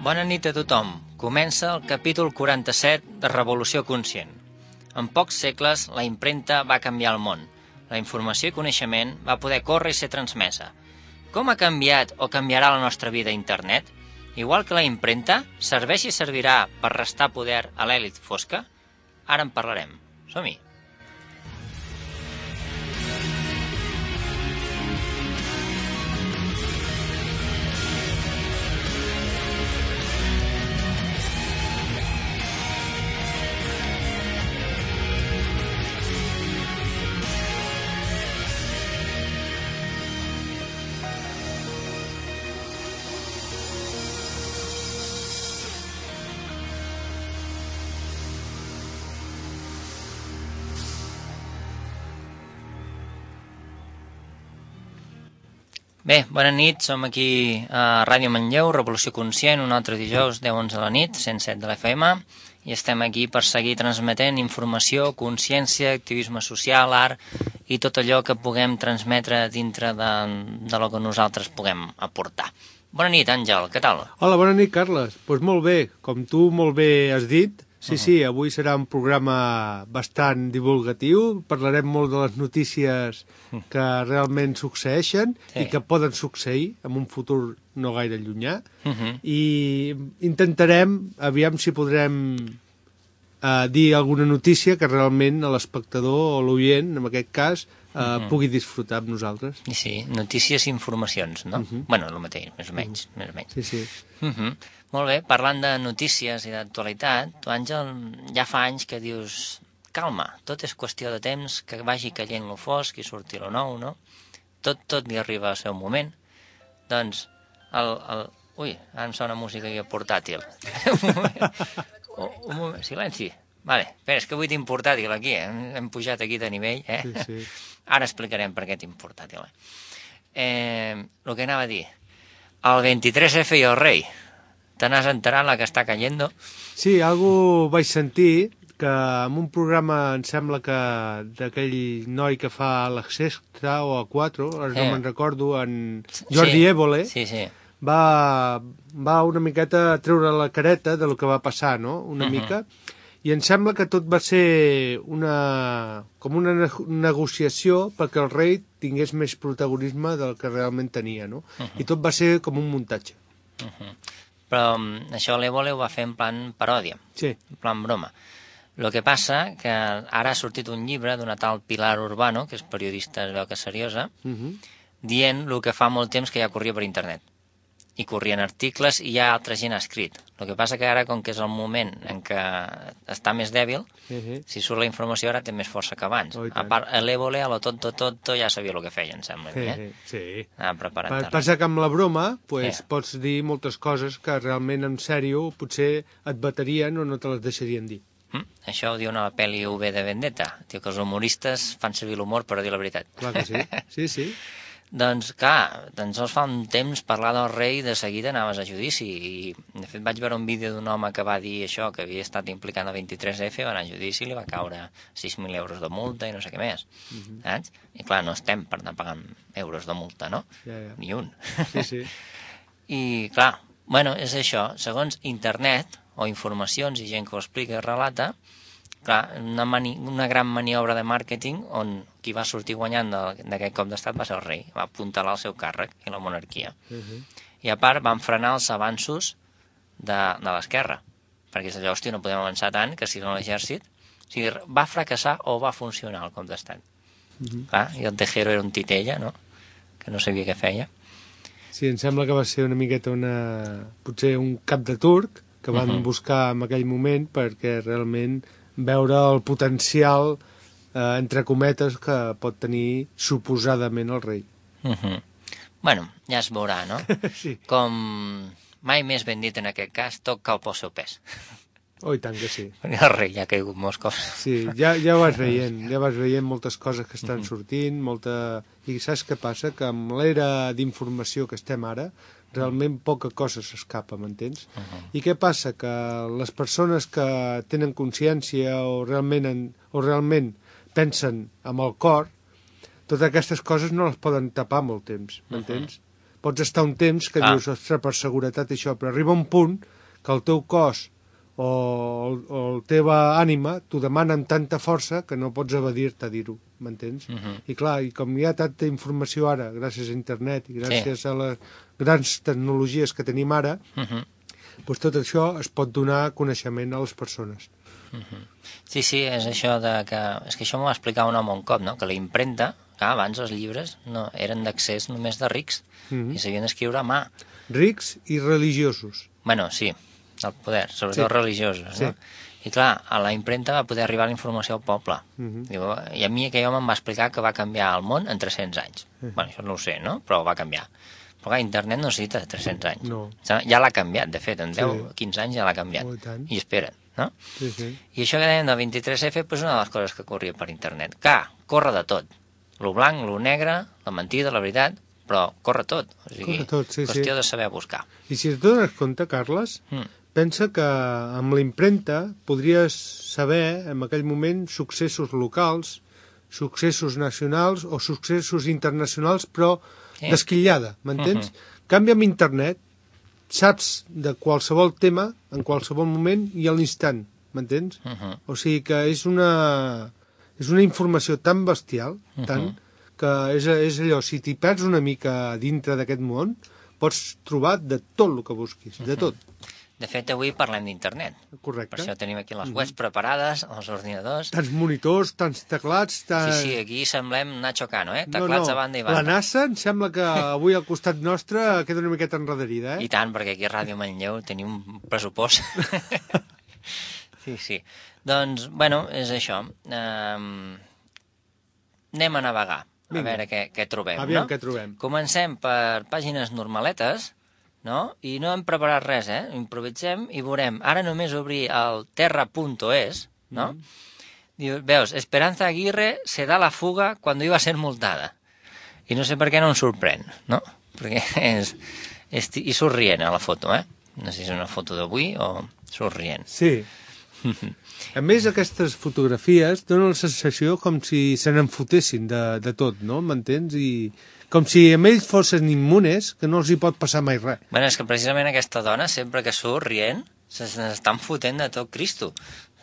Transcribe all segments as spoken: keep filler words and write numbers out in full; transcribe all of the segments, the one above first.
Bona nit a tothom. Comença el capítol quaranta-set de Revolució Conscient. En pocs segles, la impremta va canviar el món. La informació i coneixement va poder córrer i ser transmesa. Com ha canviat o canviarà la nostra vida a internet? Igual que la impremta, serveix i servirà per restar poder a l'elit fosca? Ara en parlarem. Som-hi. Bé, bona nit, som aquí a Ràdio Manlleu, Revolució Conscient, un altre dijous, deu onze de la nit, cent set de l'F M, i estem aquí per seguir transmetent informació, consciència, activisme social, art i tot allò que puguem transmetre dintre de, de lo que nosaltres puguem aportar. Bona nit, Àngel, què tal? Hola, bona nit, Carles. Doncs pues molt bé, com tu molt bé has dit, sí, sí, avui serà un programa bastant divulgatiu, parlarem molt de les notícies que realment succeeixen sí. i que poden succeir en un futur no gaire llunyà, uh-huh. i intentarem, aviam si podrem eh, dir alguna notícia que realment l'espectador o l'oient, en aquest cas, eh, uh-huh. pugui disfrutar amb nosaltres. Sí, notícies i informacions, no? Uh-huh. Bueno, el mateix, més o menys. Uh-huh. Més o menys. Sí, sí. Uh-huh. Molt bé, parlant de notícies i d'actualitat, tu, Àngel, ja fa anys que dius, calma, tot és qüestió de temps, que vagi caient lo fosc i surti lo nou, no? Tot, tot li arriba al seu moment. Doncs, el... el... Ui, ara em sona música aquí portàtil. un moment, un moment, silenci. Vale, espera, és que avui tinc portàtil aquí, eh? Hem pujat aquí de nivell, eh? Sí, sí. Ara explicarem per què tinc portàtil. Eh? Eh, el que anava a dir, el vint-i-tres F i el rei, te n'has enterat la que està cayendo? Sí, algú vaig sentir que en un programa, em sembla que d'aquell noi que fa l'Extra o a quatre, ara no eh. me'n recordo, en Jordi sí. Évole, sí, sí. Va, va una miqueta a treure la careta de lo que va passar, no? Una uh-huh. mica. I em sembla que tot va ser una, com una ne- negociació perquè el rei tingués més protagonisme del que realment tenia, no? Uh-huh. I tot va ser com un muntatge. Uh-huh. Però um, això l'Évole ho va fer en plan paròdia, sí. en plan broma. El que passa que ara ha sortit un llibre d'una tal Pilar Urbano, que és periodista, es veu que és seriosa, uh-huh. dient el que fa molt temps que ja corria per internet. I corrien articles i ja altra gent ha escrit. El que passa que ara, com que és el moment en què està més dèbil, uh-huh. si surt la informació ara té més força que abans. Oh, a part, l'Évole, a lo tonto tonto, ja sabia el que feia, em sembla. Eh? Sí. Ah, preparat. Passa que amb la broma pues, sí. pots dir moltes coses que realment en sèrio potser et baterien o no te les deixarien dir. Mm? Això ho diu una pel·li V de Vendetta. Diu que els humoristes fan servir l'humor per dir la veritat. Clar que sí, sí, sí. Doncs clar, tan sols fa un temps parlar del rei de seguida anaves a judici i de fet vaig veure un vídeo d'un home que va dir això, que havia estat implicat al vint-i-tres F, va anar a judici i li va caure sis mil euros de multa i no sé què més, uh-huh. saps? I clar, no estem per anar pagant euros de multa, no? Ja, ja. Ni un. Sí, sí. I clar, bueno, és això, segons internet o informacions i gent que ho explica i relata, clar, una, mani- una gran maniobra de màrqueting on qui va sortir guanyant de- d'aquest cop d'estat va ser el rei, va apuntalar el seu càrrec i la monarquia. Uh-huh. I a part van frenar els avanços de, de l'esquerra, perquè és allò, hòstia, no podem avançar tant que si no l'exèrcit... O sigui, va fracassar o va funcionar el cop d'estat. Uh-huh. Clar, i el Tejero era un titella, no?, que no sabia què feia. Sí, em sembla que va ser una miqueta una... potser un cap de turc que van uh -huh. buscar en aquell moment perquè realment veure el potencial, eh, entre cometes, que pot tenir suposadament el rei. Uh -huh. Bueno, ja es veurà, no? Sí. Com mai més ben dit en aquest cas, tot cau pel seu pes. Oh, i tant que sí. Perquè el rei ja ha caigut molts cops. Sí, ja, ja ho vas veient, ja vas veient moltes coses que estan sortint, molta... I saps què passa? Que amb l'era d'informació que estem ara, realment poca cosa s'escapa, m'entens? Uh -huh. I què passa? Que les persones que tenen consciència o realment, en, o realment pensen amb el cor, totes aquestes coses no les poden tapar molt temps, m'entens? Uh -huh. Pots estar un temps que ah. dius, ostres, per seguretat això, però arriba un punt que el teu cos o, o la teva ànima t'ho demana amb tanta força que no pots evadir-te a dir-ho, m'entens? Uh -huh. I clar, i com hi ha tanta informació ara, gràcies a internet i gràcies sí. a les grans tecnologies que tenim ara, uh -huh. doncs tot això es pot donar coneixement a les persones. Uh -huh. Sí, sí, és això de que... És que això m'ho va explicar un home un cop, no? Que la impremta, clar, abans els llibres no eren d'accés només de rics, uh -huh. i s'havien d'escriure a mà. Rics i religiosos. Bueno, sí, el poder, sobretot sí. religiosos, sí. no? I clar, a la impremta va poder arribar la informació al poble. Uh -huh. Diu, i a mi aquell home em va explicar que va canviar el món en tres-cents anys. Uh -huh. Bueno, això no ho sé, no? Però va canviar. Però clar, internet no necessita tres-cents anys. No. Ja l'ha canviat, de fet, en deu o sí. quinze anys ja l'ha canviat. Oh, i I espera't, no? Sí, sí. I això que dèiem del vint-i-tres efe, doncs una de les coses que corria per internet. Clar, corre de tot. Lo blanc, lo negre, la mentida, la veritat, però corre tot. O sigui, corre tot, sí, qüestió sí. de saber buscar. I si et dones compte, Carles, mm. pensa que amb la impremta podries saber en aquell moment successos locals, successos nacionals o successos internacionals, però sí. d'esquillada, m'entens? Uh -huh. Canvi amb internet, saps de qualsevol tema, en qualsevol moment i a l'instant, m'entens? Uh -huh. O sigui que és una, és una informació tan bestial, uh -huh. tant, que és, és allò, si t'hi perds una mica dintre d'aquest món, pots trobar de tot el que busquis, de tot. De fet, avui parlem d'internet. Correcte. Per això tenim aquí les webs preparades, els ordinadors... Tants monitors, tants teclats... Tants... Sí, sí, aquí semblem Nacho Cano, eh? Teclats no, no. a banda i banda. La NASA em sembla que avui al costat nostre queda una miqueta enrederida, eh? I tant, perquè aquí a Ràdio Manlleu tenim un pressupost. Sí, sí. Doncs, bueno, és això. Um, anem a navegar, Vinga. a veure què, què trobem, Aviam no? què trobem. Comencem per pàgines normaletes, no? I no hem preparat res, eh? Improvisem i veurem. Ara només obrir el terra punt es, no? Mm. Diu, veus, Esperanza Aguirre se da la fuga cuando iba a ser multada. I no sé per què no em sorprèn, no? Perquè és... és I surt rient a la foto, eh? No sé si és una foto d'avui o surt rient. Sí. A més, aquestes fotografies donen la sensació com si se n'enfotessin de, de tot, no? M'entens? I... com si amb ells fossin immunes, que no els hi pot passar mai res. Bueno, és que precisament aquesta dona, sempre que surt rient, s'estan fotent de tot Cristo,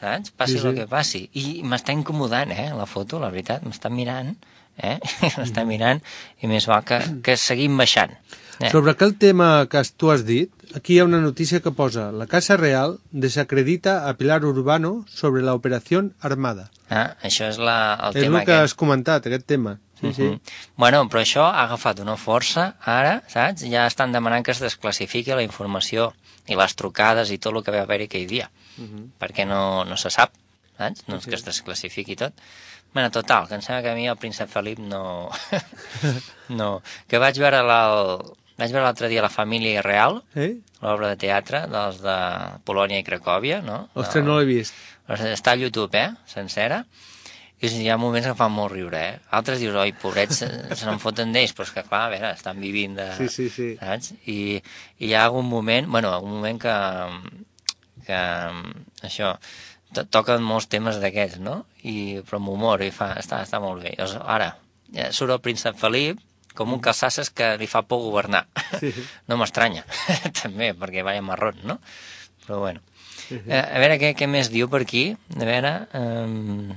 saps? Passi sí, sí. el que passi. I m'està incomodant, eh, la foto, la veritat. M'està mirant, eh? M'està mirant, i més val que, que seguim baixant. Eh. Sobre aquell tema que tu has dit, aquí hi ha una notícia que posa: la Casa Real desacredita a Pilar Urbano sobre la operació Armada. Ah, això és la, el és tema el que aquest. has comentat, aquest tema. Sí, uh -huh. sí. Bueno, però això ha agafat una força ara, saps? Ja estan demanant que es desclassifiqui la informació i les trucades i tot el que va haver-hi aquell dia, uh -huh. perquè no, no se sap, saps? No és que es desclassifiqui tot. Bueno, total, que em sembla que a mi el príncep Felip no... no. Que vaig veure la... vaig veure l'altre dia La família real, eh? l'obra de teatre dels de Polònia i Cracòvia, no? Ostres, no l'he vist. Està a YouTube, eh? Sencera. I hi ha moments que fan molt riure, eh? Altres dius, oi, pobrets, se, se n'en foten d'ells, però és que, clar, a veure, estan vivint de... Sí, sí, sí. Saps? I, i hi ha algun moment, bueno, algun moment que, que això, to toquen molts temes d'aquests, no? I, però amb humor, i fa, està, està molt bé. Llavors, ara, surt el príncep Felip, com un calçasses que li fa por governar. Sí. No m'estranya, també, perquè vaya marrón, no? Però bueno. Eh, a veure què, què més diu per aquí. A veure... Um...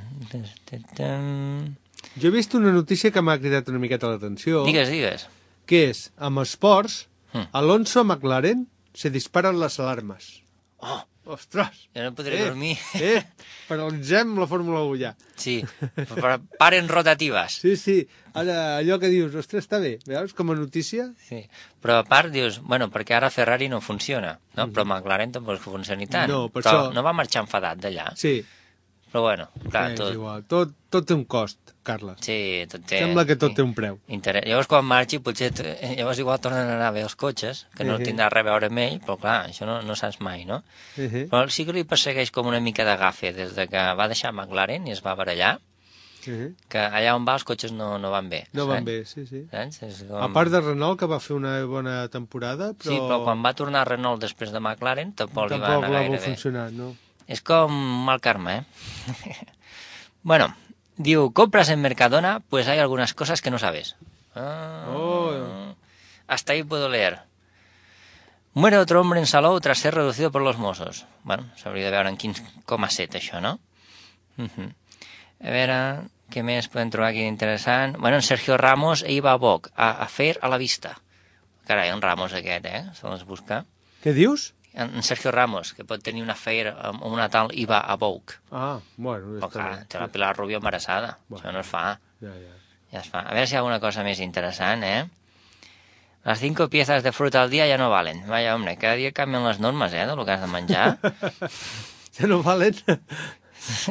Jo he vist una notícia que m'ha cridat una miqueta l'atenció. Digues, digues. Que és, amb esports, hmm. Alonso a McLaren se disparen les alarmes. Oh, Ostres! Jo no podré eh, dormir. Eh, paralitzem la Fórmula un ja. Sí, però paren rotatives. Sí, sí, ara allò que dius, ostres, està bé, veus, com a notícia? Sí, però a part dius, bueno, perquè ara Ferrari no funciona, no? Mhm. Però McLaren tampoc funciona tant. No, per però això- no va marxar enfadat d'allà. Sí, Però bueno, clar, és tot... igual, tot, tot té un cost, Carles. Sí, tot té... Sembla que tot sí. té un preu. Interès. Llavors, quan marxi, potser... t- Llavors igual tornen a anar a veure els cotxes, que no Mhm. tindrà res a veure amb ell, però clar, això no, no saps mai, no? Uh-huh. Però sí que li persegueix com una mica de gafe des de que va deixar McLaren i es va barallar, Uh-huh. que allà on va els cotxes no, no van bé. No van saps? bé, sí, sí. Saps? És com... A part de Renault, que va fer una bona temporada, però... Sí, però quan va tornar Renault després de McLaren tampoc, li va tampoc anar va gaire bé. funcionar, no? Es com mal karma, ¿eh? Bueno, diu, compras en Mercadona, pues hay algunas cosas que no sabes. Ah, Oh. Hasta ahí puedo leer. Muere otro hombre en Salou tras ser reducido por los Mossos. Bueno, s'hauria de veure en quin coma set, això, no? Uh -huh. A veure, què més podem trobar aquí d'interessant? Bueno, en Sergio Ramos iba a Vogue, a, a fer a la vista. Carai, en Ramos aquest, eh? Se les busca. Què dius? En Sergio Ramos, que pot tenir una affair amb una tal Iva a Vogue. Ah, bueno, Però està clar, bé. té la Pilar Rubio embarassada. Bueno. Això no es fa. Ja, ja. Ja es fa. A veure si hi ha alguna cosa més interessant, eh? Las cinco piezas de fruta al día ya no valen. Vaya, hombre, cada dia canvien les normes, eh, del que has de menjar. Ja no valen?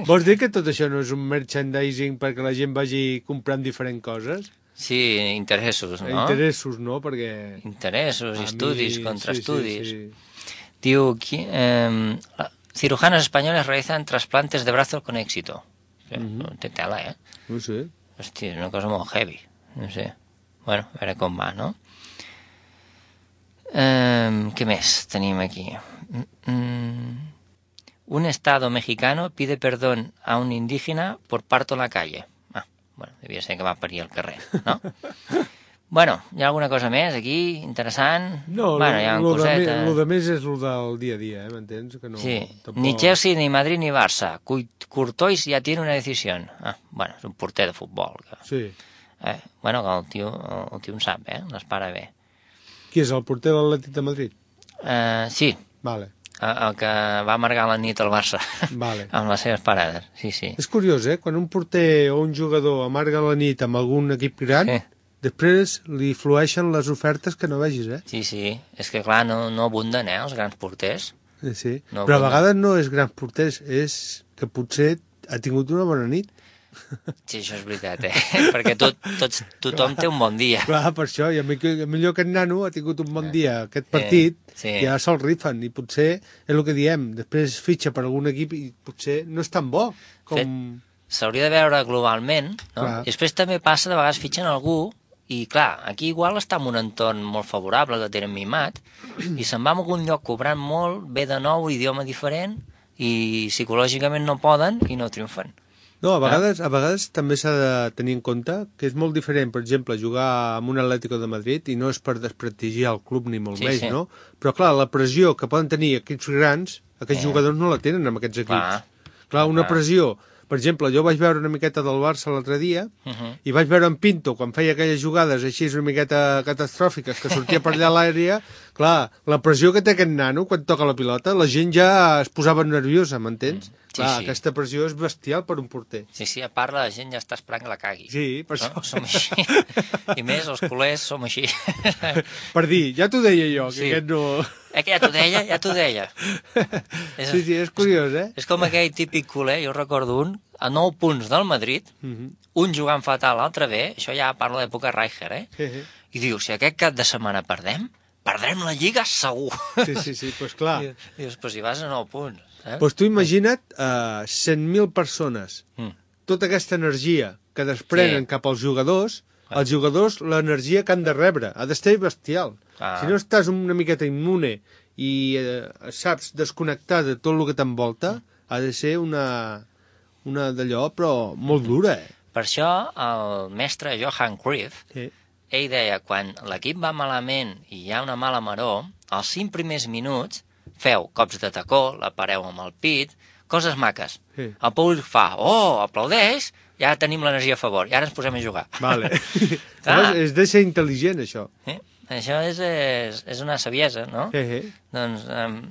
Vols dir que tot això no és un merchandising perquè la gent vagi comprant diferents coses? Sí, interessos, no? Interessos, no? Perquè... Interessos, a estudis, mi- contraestudis. Sí, sí, sí. Diu, qui- eh, cirujanos españoles realizan trasplantes de brazos con éxito. Sí, Mhm. Té tela, eh? No sé. Hòstia, és una cosa molt heavy. No sé. Bueno, a veure com va, no? Eh, què més tenim aquí? Mm, mm. Un estado mexicano pide perdón a un indígena por parto en la calle. Ah, bueno, devia ser que va parir al carrer, no? Bueno, hi ha alguna cosa més aquí, interessant? No, bueno, hi ha lo, de, cosetes. me- lo de més és lo del dia a dia, eh? M'entens? Que no, Sí, tampoc... ni Chelsea, ni Madrid, ni Barça. Cu- Courtois ja tiene una decisión. Ah, bueno, és un porter de futbol. Que... Sí. Eh, bueno, que el tio, el tio en sap, eh? Les para bé. Qui és, el porter de l'Atlètic de Madrid? Uh, sí, Vale, el, el que va amargar la nit al Barça vale. amb les seves parades, sí, sí. És curiós, eh? Quan un porter o un jugador amarga la nit amb algun equip gran, Sí. després li flueixen les ofertes que no vegis, eh? Sí, sí, és que clar, no, no abunden, eh, els grans porters. Sí, sí. No, Però a bueno. vegades no és grans porters, és que potser ha tingut una bona nit. Sí, això és veritat, eh? Perquè tot, tots, tothom té un bon dia. Clar, per això, i a mi- a millor aquest nano ha tingut un bon dia aquest partit, sí. ja se'l rifen, i potser és el que diem, després fitxa per algun equip i potser no és tan bo com... Fet. S'hauria de veure globalment, no? Clar. I després també passa, de vegades fitxen algú, i clar, aquí igual està en un entorn molt favorable, que tenen mimat, i se'n va a algun lloc cobrant molt, ve de nou, idioma diferent, i psicològicament no poden i no triomfen. No, a vegades, a vegades també s'ha de tenir en compte que és molt diferent, per exemple, jugar amb un Atlético de Madrid, i no és per desprestigiar el club ni molt Sí, més, sí. no? Però clar, la pressió que poden tenir equips grans, aquests Sí. jugadors no la tenen amb aquests equips. Clar. Clar, una Clar. pressió... Per exemple, jo vaig veure una miqueta del Barça l'altre dia, Uh -huh. i vaig veure en Pinto, quan feia aquelles jugades així una miqueta catastròfiques, que sortia per allà a l'àrea, clar, la pressió que té aquest nano quan toca la pilota, la gent ja es posava nerviosa, m'entens? Mm, sí, Clar, sí. aquesta pressió és bestial per un porter. Sí, sí, a part la gent ja està esperant que la cagui. Sí, per No? això. Som així. I més, els culers som així. Per dir, ja t'ho deia jo, que Sí. aquest no... Eh, que ja t'ho deia, ja t'ho deia. És, Sí, sí, és curiós, eh? és com aquell típic culer, jo recordo un, a nou punts del Madrid, Mhm. un jugant fatal, l'altre bé, això ja parla d'època Rijkaard, eh? Sí, sí. I diu, si aquest cap de setmana perdem, perdrem la Lliga segur. Sí, sí, sí, doncs clar. I, dius, però si vas a nou punts, eh? Doncs tu imagina't uh, cent mil persones, Mm. tota aquesta energia que desprenen Sí. cap als jugadors, Ah. els jugadors l'energia que han de rebre ha d'estar bestial. Ah. Si no estàs una miqueta immune i eh, saps desconnectar de tot el que t'envolta, ha de ser una, una d'allò, però molt dura, eh? Per això el mestre Johan Cruyff, Sí. ell deia, quan l'equip va malament i hi ha una mala maror, els cinc primers minuts feu cops de tacó, la pareu amb el pit, coses maques. Sí. El públic fa, oh, aplaudeix, ja tenim l'energia a favor, i ara ens posem a jugar. Vale. Clar. Llavors, és de ser intel·ligent, això. Eh? Això és, és, és una saviesa, no? Sí, sí. Doncs, um,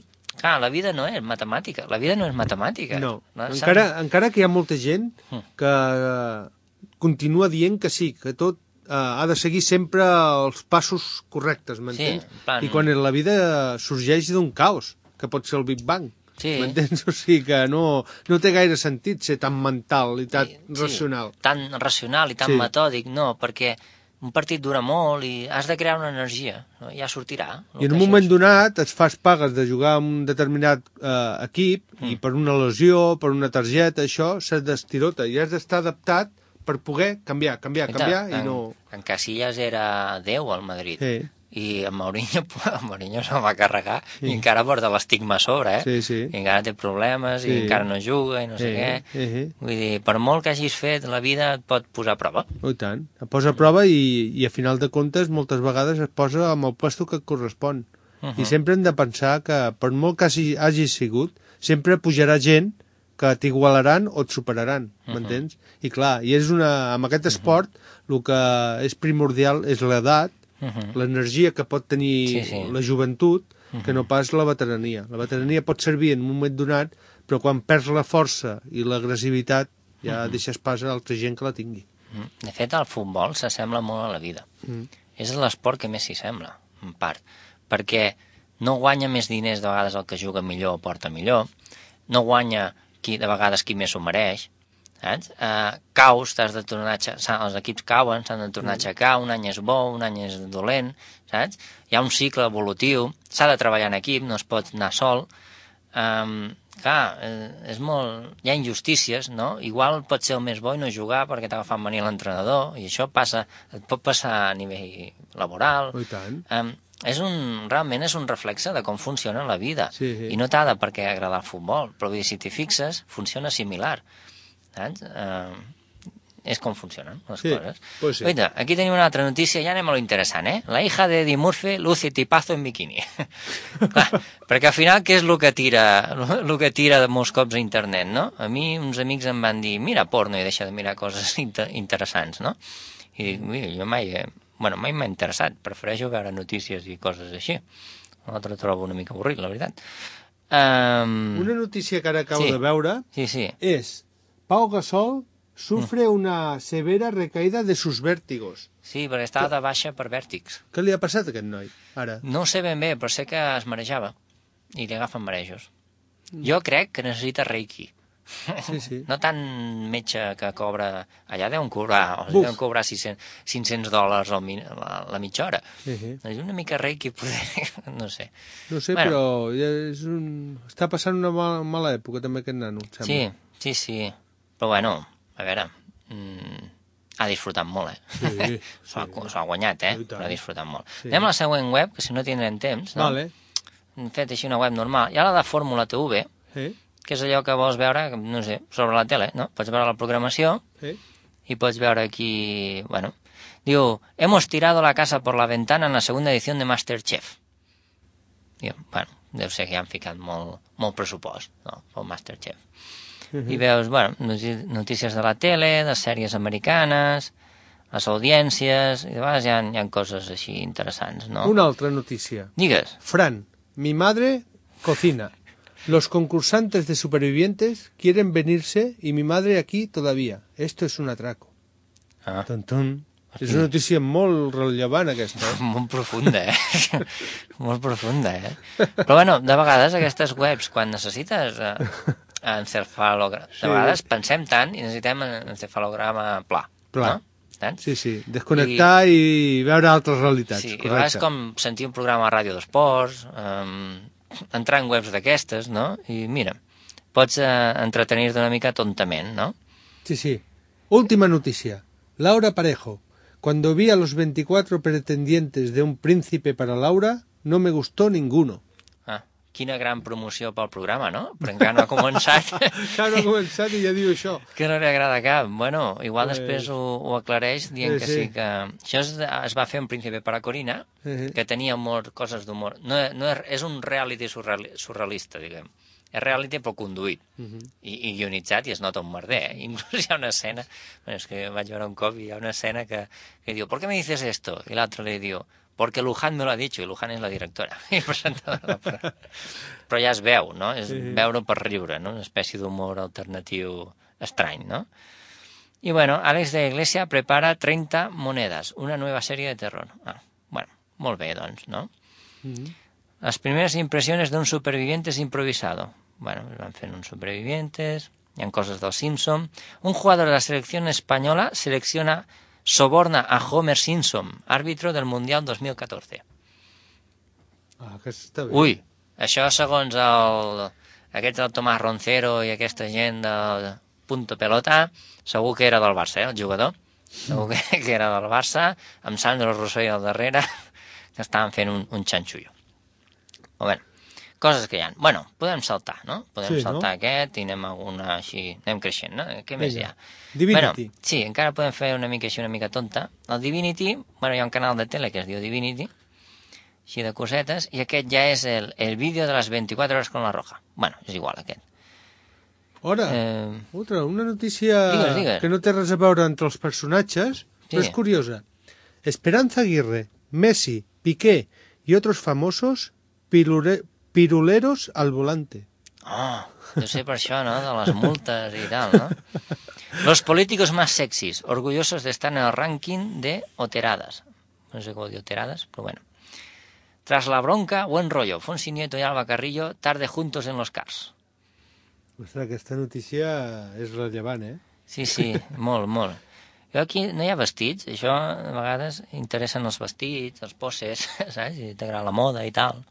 Clar, la vida no és matemàtica, la vida no és matemàtica. No, no encara, encara que hi ha molta gent que uh, continua dient que sí, que tot uh, ha de seguir sempre els passos correctes, m'entens? Sí, plan... I quan la vida sorgeix d'un caos, que pot ser el Big Bang. Sí. M'entens? O sigui que no, no té gaire sentit ser tan mental i tan sí, racional. Tan racional i tan sí. metòdic, no, perquè un partit dura molt i has de crear una energia, no? Ja sortirà. I en un moment donat et fas pagues de jugar amb un determinat eh, equip mm. i per una lesió, per una targeta, això se't destirota i has d'estar adaptat per poder canviar, canviar, Enta, canviar i en, no... En Casillas era Déu al Madrid. Sí. I en Mourinho, en Mourinho se'l va carregar sí. i encara porta l'estigma a sobre, eh? Sí, sí. I encara té problemes sí. i encara no juga i no sé sí. què. Sí, sí. Vull dir, per molt que hagis fet, la vida et pot posar a prova. Oh, i tant. Et posa a prova i, i a final de comptes moltes vegades es posa amb el puesto que et correspon. Uh -huh. I sempre hem de pensar que per molt que hagi, hagis sigut, sempre pujarà gent que t'igualaran o et superaran, m'entens? Uh -huh. I clar, i és una, amb aquest esport uh -huh. el que és primordial és l'edat, Uh -huh. l'energia que pot tenir sí, sí. la joventut, uh -huh. que no pas la veterania. La veterania pot servir en un moment donat, però quan perds la força i l'agressivitat ja uh -huh. deixes pas a altra gent que la tingui. Uh -huh. De fet, el futbol s'assembla molt a la vida. Uh -huh. És l'esport que més s'hi sembla, en part, perquè no guanya més diners de vegades el que juga millor o porta millor, no guanya qui, de vegades qui més s'ho mereix, saps? Uh, caus, t'has de tornar a aixecar, els equips cauen, s'han de tornar a aixecar, un any és bo, un any és dolent, saps? Hi ha un cicle evolutiu, s'ha de treballar en equip, no es pot anar sol. Um, clar, és molt... Hi ha injustícies, no? Igual pot ser el més bo i no jugar perquè t'ha agafat venir l'entrenador, i això passa, et pot passar a nivell laboral. Oh, i tant. Um, és un, realment és un reflexe de com funciona la vida. Sí, sí. I no t'ha de per què agradar el futbol, però vull dir, si t'hi fixes, funciona similar. Saps? Uh, és com funcionen les sí, coses. Pues sí. Oita, aquí tenim una altra notícia, ja anem a lo interessant, eh? La hija de Eddie Murphy luce tipazo en bikini. Clar, perquè al final què és el que tira el que tira molts cops a internet, no? A mi uns amics em van dir, mira porno i deixa de mirar coses inter interessants, no? I dic, mira, jo mai, eh, bueno, mai m'ha interessat, prefereixo veure notícies i coses així. L'altre trobo una mica avorrit, la veritat. Um... Una notícia que ara acabo sí. de veure sí, sí. és Pau Gasol sufre una severa recaïda de sus vértigos. Sí, perquè estava de baixa per vèrtics. Què li ha passat a aquest noi, ara? No ho sé ben bé, però sé que es marejava i li agafen marejos. Mm. Jo crec que necessita reiki. Sí, sí. No tant metge que cobra... Allà deuen cobrar, o sigui, deuen cobrar cinc-cents dòlars la, la mitja hora. Sí, sí. És una mica reiki, poder... no sé. No sé, bueno. Però és un... està passant una mala, mala època també aquest nano, em sembla. Sí, sí, sí. Però bueno, a veure, mmm, ha disfrutat molt, eh? Sí, S'ho ha, ha guanyat, eh? Però ha disfrutat molt. Sí. Anem a la següent web, que si no tindrem temps, no? Vale. Hem fet així una web normal. Hi ha la de Fórmula T V, sí. que és allò que vols veure, no sé, sobre la tele, no? Pots veure la programació sí. i pots veure aquí, bueno... Diu, hemos tirado la casa por la ventana en la segunda edición de Masterchef. Diu, bueno, deu ser que ja han ficat molt, molt pressupost, no?, pel Masterchef. I veus, bueno, notícies de la tele, de sèries americanes, les audiències, i de vegades hi ha, hi ha coses així interessants, no? Una altra notícia. Digues. Fran, mi madre cocina. Los concursantes de Supervivientes quieren venirse y mi madre aquí todavía. Esto es un atraco. Ah. Ton, ton. És una notícia molt rellevant, aquesta. Eh? Molt profunda, eh? Molt profunda, eh? Però, bueno, de vegades aquestes webs, quan necessites eh, encefalograma... De vegades sí. pensem tant i necessitem encefalograma pla. Pla. No? Tant? Sí, sí. Desconnectar i, i veure altres realitats. Sí, correcte. I a vegades com sentir un programa a ràdio d'esports, eh, entrar en webs d'aquestes, no? I mira, pots eh, entretenir-te una mica tontament, no? Sí, sí. Última notícia. Laura Parejo. Cuando vi a los veinticuatro pretendientes de un príncipe para Laura, no me gustó ninguno. Ah, quina gran promoció pel programa, no? Però encara no ha començat. Encara no ha començat i ja diu això. Que no li agrada cap. Bueno, igual pues... després ho, ho aclareix dient sí, que sí, sí que... Això es, es va fer un príncipe para Corina, sí. que tenia humor, coses d'humor. No, no és, és un reality surrealista, diguem. És reality però conduït uh -huh. I, i guionitzat i es nota un merder, eh? Inclús hi ha una escena, bueno, és que vaig veure un cop i hi ha una escena que, que diu, ¿por qué me dices esto? I l'altre li diu, Porque Luján me lo ha dicho, i Luján és la directora i presentadora. Però, però ja es veu, no? És veure per riure, no? Una espècie d'humor alternatiu estrany, no? Y bueno, Alex de Iglesia prepara treinta monedas, una nueva serie de terror. Ah, bueno, molt bé, doncs, no? Mm-hmm. Las primeras impresiones de un supervivientes improvisado. Bueno, van fent uns supervivientes, hi ha coses del Simpson. Un jugador de la selección española selecciona, soborna a Homer Simpson, árbitro del Mundial dos mil catorze. Ah, que està bé. Ui, això segons el, aquest el Tomàs Roncero i aquesta gent del Punto Pelota, segur que era del Barça, eh, el jugador. Segur que, que era del Barça, amb Sandro Rossell al darrere, que estaven fent un, un xanxullo. Però bé, coses que hi ha. Bueno, podem saltar, no? Podem sí, saltar no? aquest i anem alguna així, anem creixent, no? Què més hi ha? Divinity. Bueno, sí, encara podem fer una mica així, una mica tonta. El Divinity, bueno, hi ha un canal de tele que es diu Divinity, així de cosetes, i aquest ja és el, el vídeo de les veinticuatro horas con la Roja. Bueno, és igual aquest. Ara, eh... otra, una notícia digues, digues. que no té res a veure entre els personatges, sí. Però és curiosa. Esperanza Aguirre, Messi, Piqué y otros famosos pirule... piruleros al volante. Oh, deu ser per això, ¿no? De les multes i tal, ¿no? Los políticos más sexys, orgullosos de estar en el ranking de Oteradas. No sé cómo de Oteradas, pero bueno. Tras la bronca, buen rollo. Fonsi Nieto y Alba Carrillo, tarde juntos en los cars. Ostres, aquesta notícia és rellevant, eh? Sí, sí, molt, molt. Jo aquí no hi ha vestits, això a vegades interessen els vestits, els poses, saps? Si t'agrada la moda i tal.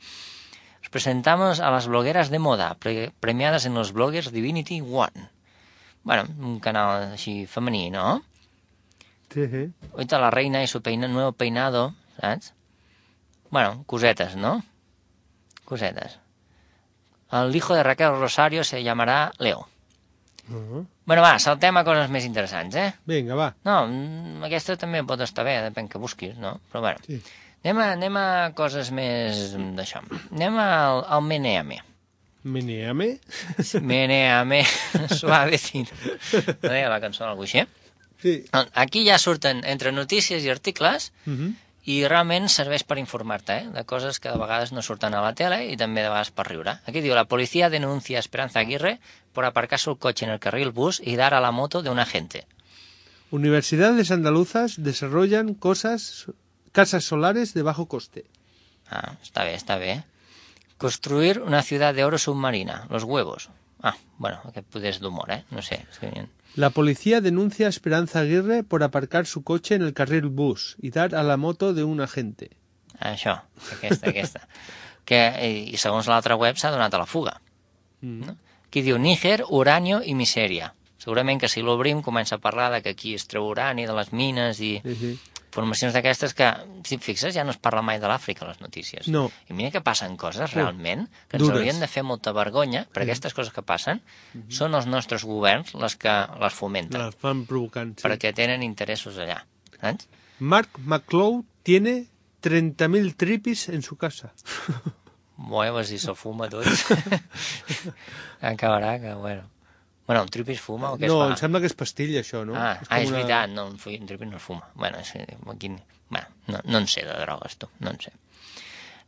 Os presentamos a las blogueras de moda, pre premiadas en los bloggers Divinity One. Bueno, un canal així femení, ¿no? Sí, sí. Ahorita la reina y su peina, nuevo peinado, saps? Bueno, cosetes, ¿no? Cosetes. El hijo de Raquel Rosario se llamarà Leo. Uh -huh. Bueno, va, saltem a coses més interessants, eh? Vinga, va. No, aquesta també pot estar bé, depèn que busquis, no? Però bueno, sí. anem, a, anem a coses més d'això. Anem al, al Meneame. Meneame? Meneame, suavecito. No deia la cançó algú així? Sí. Aquí ja surten entre notícies i articles, uh -huh. i realment serveix per informar-te, eh? De coses que de vegades no surten a la tele i també de vegades per riure. Aquí diu, la policía denuncia a Esperanza Aguirre por aparcar su coche en el carril bus y dar a la moto de un agente. Universidades andaluzas desarrollan cosas, casas solares de bajo coste. Ah, està bé, està bé. Construir una ciudad de oro submarina, los huevos. Ah, bueno, aquest poder és d'humor, eh? No sé. És que... La policía denuncia a Esperanza Aguirre por aparcar su coche en el carril bus y dar a la moto de un agente. Això, aquesta, aquesta. Que, I segons l'altra web s'ha donat a la fuga. Mm. No? Aquí diu Níger, uranio i misèria. Segurament que si l'obrim comença a parlar de que aquí es treu urani de les mines i sí, sí. Informacions d'aquestes que, si et fixes, ja no es parla mai de l'Àfrica a les notícies. No. I mira que passen coses realment que ens Dures. haurien de fer molta vergonya, perquè sí. Aquestes coses que passen mm-hmm. són els nostres governs les que les fomenten. Les fan provocant, sí. Perquè tenen interessos allà. Saps? Mark McClough tiene treinta mil tripis en su casa. Bueno, si se fuma tot. Acabarà que, bueno... Bueno, un tripis fuma o què es no, fa? No, em sembla que és pastilla, això, no? Ah, és, ah, és una... veritat, no, un tripis no es fuma. Bueno, és, aquí, bueno no, no en sé de drogues, tu, no en sé.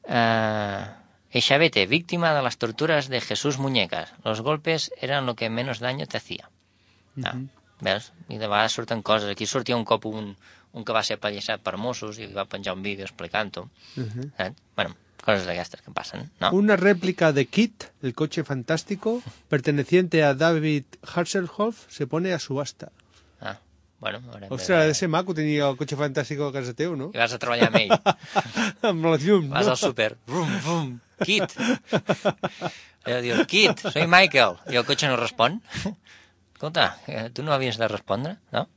Uh, Echavete, víctima de las torturas de Jesús Muñecas. Los golpes eran lo que menos daño te hacía. Ah, uh-huh. Veus? I de vegades surten coses. Aquí sortia un cop un, un que va ser apallissat per Mossos i va penjar un vídeo explicant-ho. Uh-huh. Saps? Bueno, cosas d'aquestes que passen, ¿no? Una réplica de Kit, el coche fantástico, perteneciente a David Hasselhoff, se pone a subasta. Ah, bueno... Ostres, ha de ser maco tenir el cotxe fantàstic a casa teu, no? I vas a treballar amb ell. Amb la llum, vas no? al súper, vrum, vrum, Kit. Allò diu, Kit, soy Michael. I el cotxe no respon. Escolta, tu no havies de respondre, no?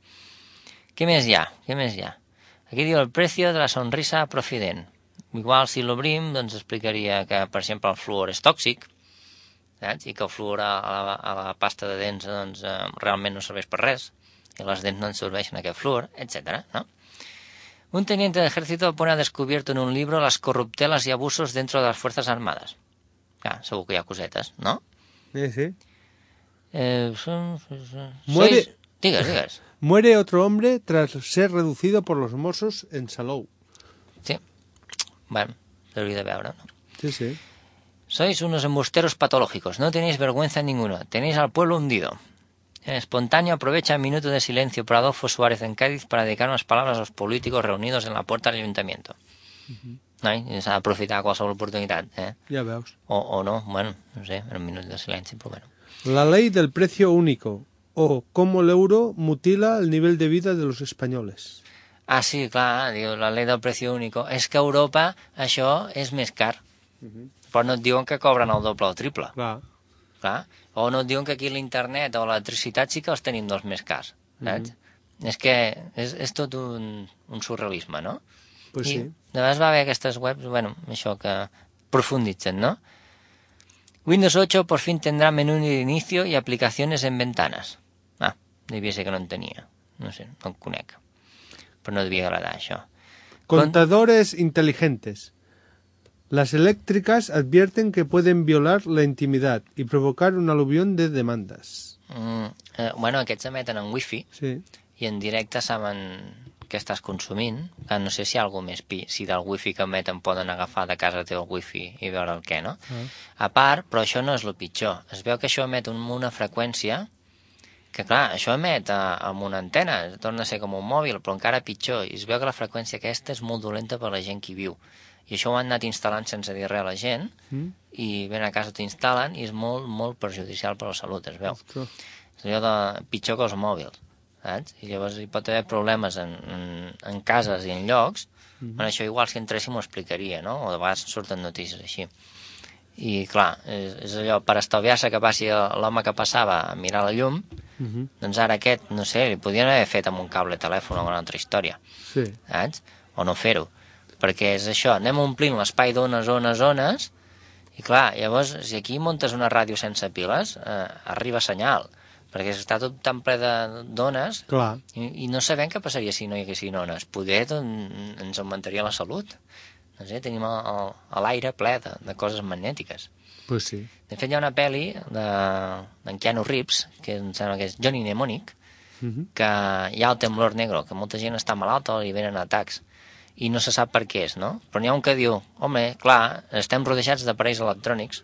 Què més hi ha? Què més hi ha? Aquí diu el precio de la sonrisa profident. Igual si l'obrim, doncs explicaria que, per exemple, el fluor és tòxic, saps? I que el fluor a la, a la pasta de dents doncs, eh, realment no serveix per res, i les dents no ens serveixen aquest fluor, etcètera, ¿no? Un teniente de ejército pone a descubierto en un libro las corruptelas y abusos dentro de las Fuerzas Armadas. Clar, segur que hi ha cosetes, no? Sí, sí. Eh, son, son, Muere... Sois... Digues, digues. Muere otro hombre tras ser reducido por los Mossos en Salou. Sí. Bueno, s'hauria de veure, no? Sí, sí. Sois unos embusteros patológicos, no tenéis vergüenza ninguno, tenéis al pueblo hundido. Espontáneo aprovecha el minuto de silencio por Adolfo Suárez en Cádiz para dedicar unas palabras a los políticos reunidos en la puerta del ayuntamiento. Uh-huh. No? S'ha d'aprofitar qualsevol oportunitat, eh? Ja veus. O, o no, bueno, no sé, en un minut de silenci, però bueno. La ley del precio único, o cómo el euro mutila el nivel de vida de los españoles. Ah, sí, clar, diu, la ley del precio único. És que a Europa això és més car. Uh-huh. Però no et diuen que cobren el doble o el triple. Clar. Clar. O no et diuen que aquí l'internet o l'electricitat sí que els tenim dels més cars, saps? Mm-hmm. És que és, és tot un, un surrealisme, no? Pues I sí. de vegades va haver aquestes webs, bueno, això que profunditzen, ¿no? Windows ocho por fin tendrá menú de inicio y aplicaciones en ventanas. Ah, devia ser que no en tenia. No sé, no en conec. Però no devia agradar això. Contadores Con... inteligentes. Las eléctricas advierten que pueden violar la intimidad y provocar un aluvión de demandas. Mm, eh, bueno, aquests emeten en wifi sí. I en directe saben què estàs consumint. Que no sé si hi ha algú més pi, si del wifi que emeten poden agafar de casa teu el wifi i veure el què, no? Ah. A part, però això no és el pitjor. Es veu que això emet una freqüència que, clar, això emet a, amb una antena, torna a ser com un mòbil, però encara pitjor. I es veu que la freqüència aquesta és molt dolenta per la gent que hi viu. I això ho han anat instal·lant sense dir res a la gent, mm. i ven a casa t'ho instal·len, i és molt, molt perjudicial per la salut, es veu. Ostres. És allò de pitjor que els mòbils, saps? I llavors hi pot haver problemes en, en, en cases i en llocs. Mm-hmm. Bueno, això igual si entréssim ho explicaria, no? O de vegades surten notícies així. I clar, és, és allò, per estalviar-se que passi l'home que passava a mirar la llum, mm-hmm. doncs ara aquest, no sé, li podien haver fet amb un cable telèfon o una altra història, sí. Saps? O no fer-ho. Perquè és això, anem omplint l'espai d'ones, ones, ones, i clar, llavors, si aquí muntes una ràdio sense piles, eh, arriba senyal, perquè està tot tan ple d'ones, i, i no sabem què passaria si no hi haguessin ones. Poder doncs, ens augmentaria la salut. No sé, tenim l'aire ple de, de coses magnètiques. Pues sí. De fet, hi ha una pel·li d'en de, Keanu Reeves, que em sembla que és Johnny Mnemonic, uh-huh. que hi ha el temblor negro, que molta gent està malalta i venen atacs. I no se sap per què és, no? Però n'hi ha un que diu, home, clar, estem rodejats d'aparells electrònics,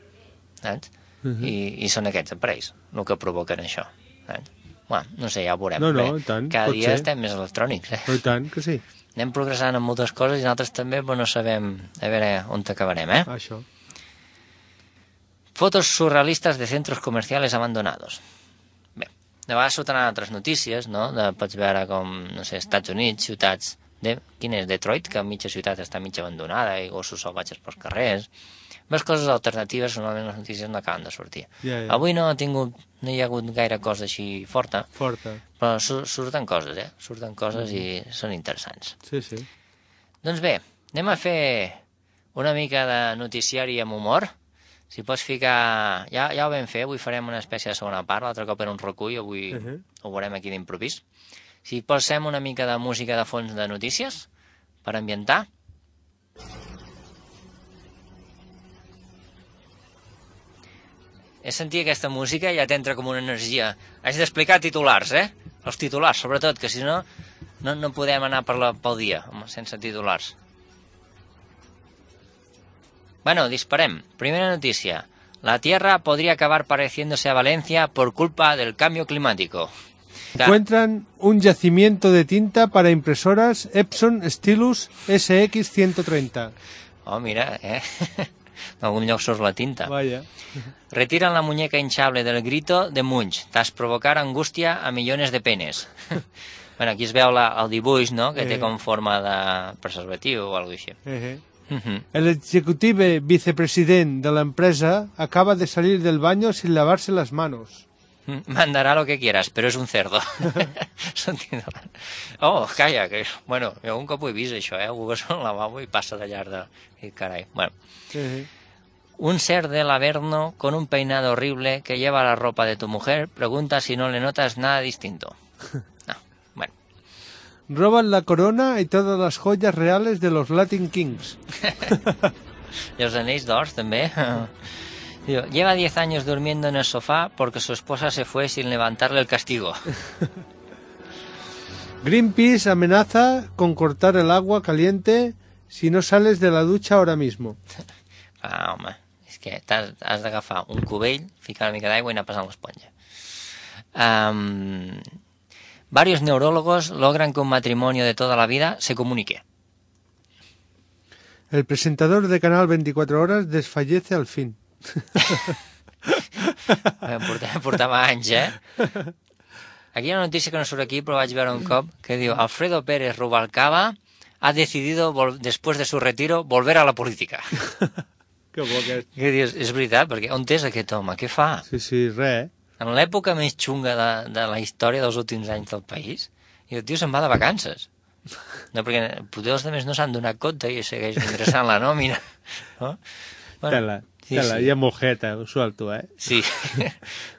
saps? Uh-huh. I, I són aquests aparells el que provoquen això, saps? Bueno, no sé, ja ho veurem. No, no, i tant, cada dia ser. Estem més electrònics, eh? I tant, que sí. Anem progressant en moltes coses i nosaltres també, però no sabem a veure on t'acabarem, eh? Això. Fotos surrealistes de centros comerciales abandonados. Bé, de vegades surten altres notícies, no? De, pots veure com, no sé, Estats Units, ciutats... De, quin és? Detroit, que mitja ciutat està mitja abandonada i gossos salvatges pels carrers. Més coses alternatives, normalment les notícies no acaben de sortir. Yeah, yeah. Avui no ha tingut, no hi ha hagut gaire cosa així forta, forta. Però sur surten coses, eh? Surten coses mm. i són interessants. Sí, sí. Doncs bé, anem a fer una mica de noticiari amb humor. Si pots ficar... Ja, ja ho vam fer, avui farem una espècie de segona part, l'altre cop era un recull, avui uh -huh. ho veurem aquí d'improvís. Si posem una mica de música de fons de notícies per ambientar. He sentit aquesta música i ja t'entra com una energia. Haig d'explicar titulars, eh? Els titulars, sobretot, que si no, no, no podem anar per la, pel dia home, sense titulars. Bueno, disparem. Primera notícia. La Tierra podría acabar pareciéndose a Valencia por culpa del cambio climático. Encuentran un yacimiento de tinta para impresoras Epson Stylus S X ciento treinta. Oh, mira, eh? En algun lloc surt la tinta. Vaya. Retiran la muñeca hinchable del grito de Munch, tras provocar angustia a millones de penes. Bueno, aquí es veu la, el dibuix, no?, que eh. té com forma de preservatiu o alguna cosa així. Eh. Uh-huh. El ejecutivo vicepresidente de la empresa acaba de salir del baño sin lavarse las manos. Mandará lo que quieras, però és un cerdo. Oh, calla, que... Bueno, jo un cop ho he vist, això, eh? Algú que és al lavabo i passa de llarg de... I carai, bueno. Uh-huh. Un ser del Averno con un peinado horrible que lleva la ropa de tu mujer pregunta si no le notas nada distinto. No, bueno. Roban la corona y todas las joyas reales de los Latin Kings. I els anells d'or, també. Lleva diez años durmiendo en el sofá porque su esposa se fue sin levantarle el castigo. Greenpeace amenaza con cortar el agua caliente si no sales de la ducha ahora mismo. Ah, home, és que t'has, has d'agafar un cubell, ficar una mica d'aigua i anar passant l'esponja. Um, varios neurólogos logran que un matrimonio de toda la vida se comunique. El presentador de Canal veinticuatro horas desfallece al fin. Portava, portava anys, eh? Aquí hi ha una notícia que no surt aquí, però vaig veure un cop, que diu Alfredo Pérez Rubalcaba ha decidido, después de su retiro, volver a la política. Que bo aquest. Que dius, és veritat, perquè on és aquest home? Què fa? Sí, sí, res, eh? En l'època més xunga de, de la història dels últims anys del país, i el tio se'n va de vacances. No, perquè potser els altres no s'han donat compte i segueix ingressant la nòmina. No? Bueno, tela, sí, tela, sí. Hi ha molt jeta, ho suelto, eh? Sí,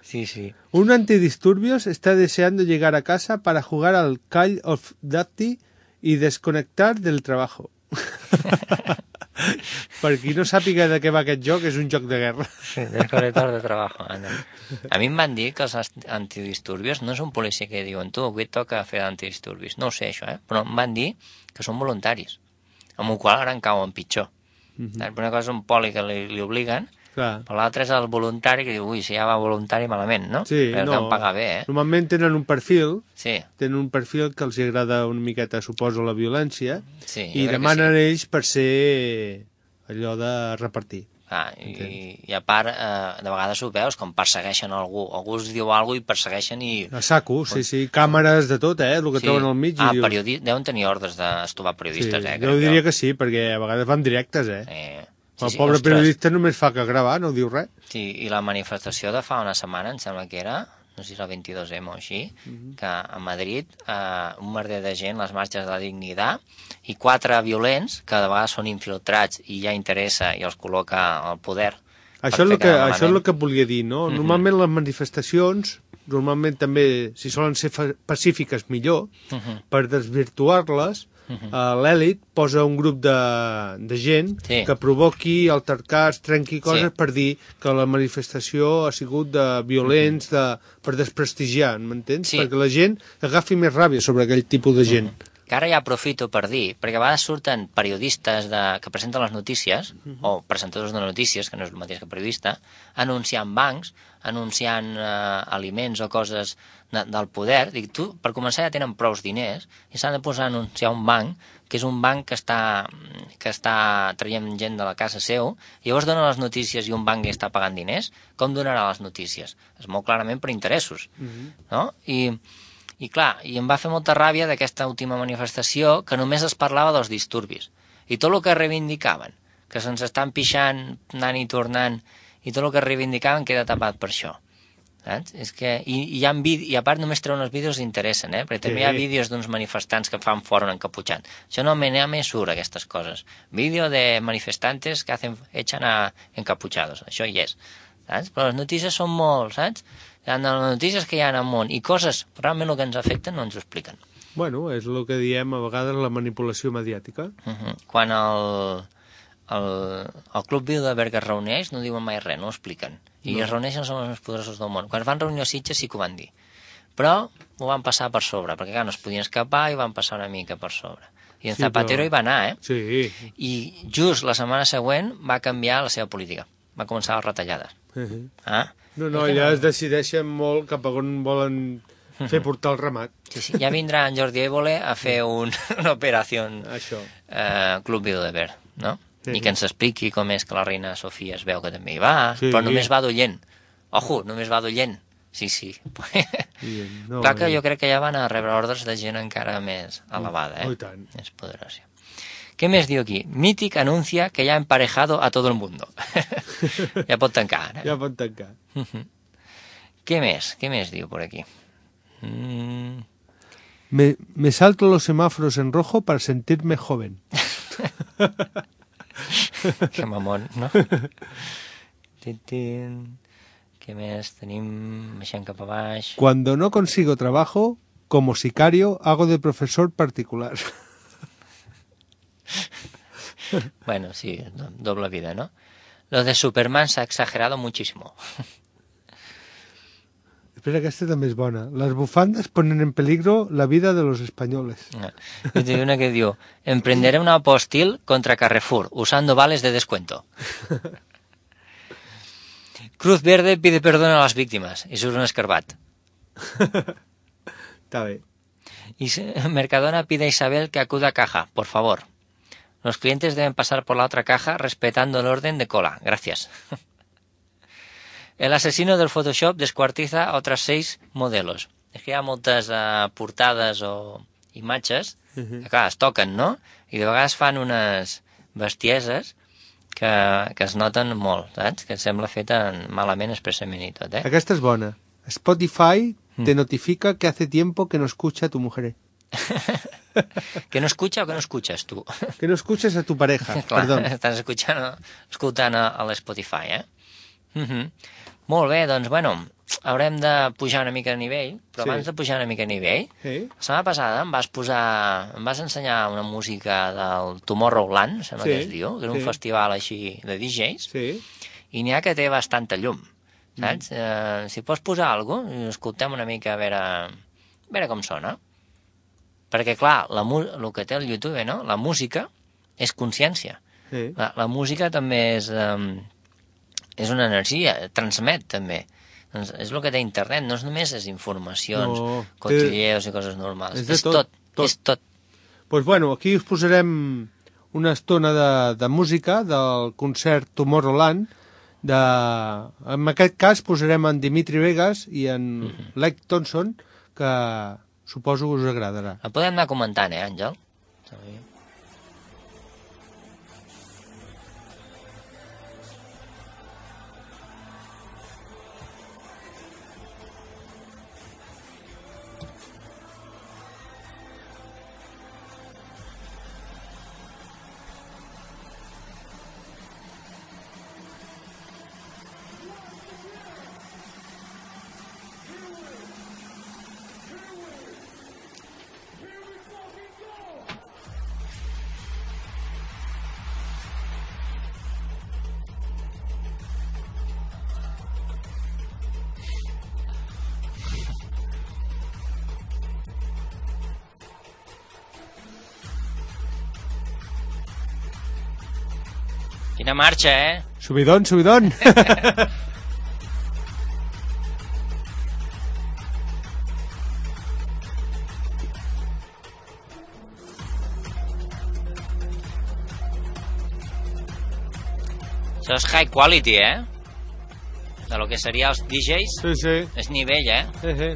sí, sí. Un antidisturbios está deseando llegar a casa para jugar al Call of Duty y desconectar del trabajo. Per qui no sàpiga de què va aquest joc, és un joc de guerra. Sí, desconectar de trabajo. Anda. A mi em van dir que els antidisturbios no és un policia que diuen tu, avui et toca fer antidisturbios. No ho sé, això, eh? Però em van dir que són voluntaris, amb el qual ara en cauen pitjor. Mm-hmm. Una cosa és un poli que li, li obliguen, clar. Però l'altre és el voluntari que diu, ui, si ja va voluntari malament, no? Sí, però no. Que pagar bé, eh? Normalment tenen un perfil, sí. tenen un perfil que els agrada una miqueta, suposo, la violència, sí, i demanen sí. ells per ser allò de repartir. Ah, i, i a part, eh, de vegades ho veus, com persegueixen algú, algú us diu alguna cosa i persegueixen i... A saco, sí, sí, càmeres de tot, eh, el que sí. troben al mig. Ah, i dius... periodi... deuen tenir ordres d'estovar periodistes, sí, eh? Jo diria que sí, perquè a vegades van directes, eh? eh... Sí, el sí, pobre ostres. Periodista només fa que gravar, no diu res. Sí, i la manifestació de fa una setmana, em sembla que era, no sé si era el vint-i-dos eme o així, uh-huh. que a Madrid eh, un merder de gent, les marxes de la dignitat, i quatre violents, que de vegades són infiltrats i ja interessa i els col·loca al poder. Això és, el que, això és el que volia dir, no? Uh-huh. Normalment les manifestacions, normalment també, si solen ser pacífiques, millor, uh-huh. per desvirtuar-les, Uh-huh. uh, l'elit posa un grup de, de gent sí. que provoqui altercats, trenqui coses sí. per dir que la manifestació ha sigut de violents, uh-huh. de, per desprestigiar, m'entens? Sí. Perquè la gent agafi més ràbia sobre aquell tipus de gent. Uh-huh. Que ara ja aprofito per dir, perquè a vegades surten periodistes de, que presenten les notícies, uh-huh. o presentadors de notícies, que no és el mateix que periodista, anunciant bancs, anunciant eh, aliments o coses de, del poder. Dic, tu, per començar ja tenen prous diners i s'han de posar a anunciar un banc, que és un banc que està, que està traient gent de la casa seu, i llavors dona les notícies i un banc li està pagant diners. Com donarà les notícies? És molt clarament per interessos, uh-huh. no? I... I clar, i em va fer molta ràbia d'aquesta última manifestació que només es parlava dels disturbis. I tot el que reivindicaven, que se'ns estan pixant, anant i tornant, i tot el que reivindicaven queda tapat per això. Saps? És que, i, i, hi ha vídeo, i a part només treuen els vídeos que interessen, eh? Perquè també sí. hi ha vídeos d'uns manifestants que fan fora un encaputxant. Això no me, no me surt, aquestes coses. Vídeo de manifestantes que hacen, echan a encapuchados. Això hi és. Saps? Però les notícies són molt, saps? Hi ha les notícies que hi ha en el món i coses realment el que ens afecten no ens ho expliquen. Bueno, és el que diem a vegades la manipulació mediàtica. Uh-huh. Quan el, el, el Club Bilderberg es reuneix no diuen mai res, no ho expliquen. I no. es reuneixen són els més poderosos del món. Quan es van reunir a Sitges sí que ho van dir. Però ho van passar per sobre, perquè clar, no es podien escapar i van passar una mica per sobre. I en sí, Zapatero però... hi va anar, eh? Sí. I just la setmana següent va canviar la seva política. Va començar les retallades. Uh-huh. Ah? No, no, allà es decideixen molt cap a on volen fer portar el ramat. Sí, sí. Ja vindrà en Jordi Évole a fer un, una operació eh, Club Bilderberg, no? Sí. I que ens expliqui com és que la reina Sofia es veu que també hi va, sí. però només va d'oient. Ojo, només va d'oient. Sí, sí. No, clar que jo crec que ja van a rebre ordres de gent encara més elevada, eh? Oh, tant. Més poderosa. ¿Qué més diu aquí? Mític anuncia que ya ha emparejado a todo el mundo. Ja pot tancar, eh? Ja pot tancar. ¿Qué més? Què més diu por aquí? Mm. Me, me salto los semáforos en rojo para sentirme joven. Que mamón, no? Què més tenim? Baixant cap a baix. Cuando no consigo trabajo, como sicario, hago de profesor particular. Bueno, sí, doble vida, ¿no? Lo de Superman se ha exagerado muchísimo. Després aquesta també és bona. Las bufandas ponen en peligro la vida de los españoles. Y hay una que diu, emprenderé una postil contra Carrefour, usando vales de descuento. Cruz Verde pide perdón a las víctimas, y surt un escarbat. Está bé. Y Mercadona pide a Isabel que acuda a caja, por favor. Los clientes deben pasar por la otra caja respetando el orden de cola. Gracias. El asesino del Photoshop descuartiza a otras seis modelos. És que hi ha moltes uh, portades o imatges que, uh-huh. clar, es toquen, no? I de vegades fan unes bestieses que, que es noten molt, saps? Que sembla feta malament expressament i tot, eh? Aquesta és bona. Spotify te mm. notifica que hace tiempo que no escucha a tu mujer. Que no escucha o que no escuches, tu? Que no escuches a tu pareja, clar, perdón. Estàs escuchant, escoltant a, a l'Spotify, eh? Uh-huh. Molt bé, doncs, bueno, haurem de pujar una mica de nivell, però sí. abans de pujar una mica de nivell, sí. la setmana passada em vas posar, em vas ensenyar una música del Tomorrowland, sembla sí. que es diu, que és un sí. festival així de D Js, sí. i n'hi ha que té bastanta llum, saps? Mm. Eh, si pots posar alguna cosa, escoltem una mica a veure, a veure com sona. Perquè, clar, la, el que té el YouTube, no? La música és consciència. Sí. La, la música també és... Um, és una energia, transmet també. Doncs és el que té internet, no és només les informacions, no, cotilleos té... i coses normals. És, és tot, tot, és tot. Doncs pues bueno, aquí us posarem una estona de, de música del concert Tomorrowland. De... En aquest cas posarem en Dimitri Vegas i en mm-hmm. Lake Thompson, que suposo que us agradarà. La podem anar comentant, eh, Àngel? Sí. Quina marxa, eh? Subidón, subidón. Això és high quality, eh? De lo que seria els D Js. Sí, sí. És nivell, eh? Sí, sí.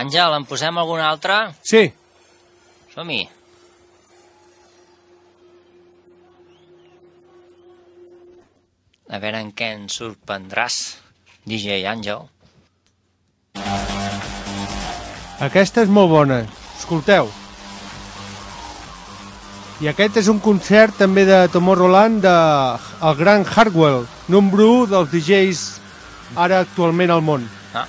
Àngel, en posem alguna altra? Sí. Som-hi. A veure en què ens sorprendràs, D J Àngel. Aquesta és molt bona. Escolteu. I aquest és un concert també de Tomorrowland del gran Hardwell, número u dels D Js ara actualment al món. Ah.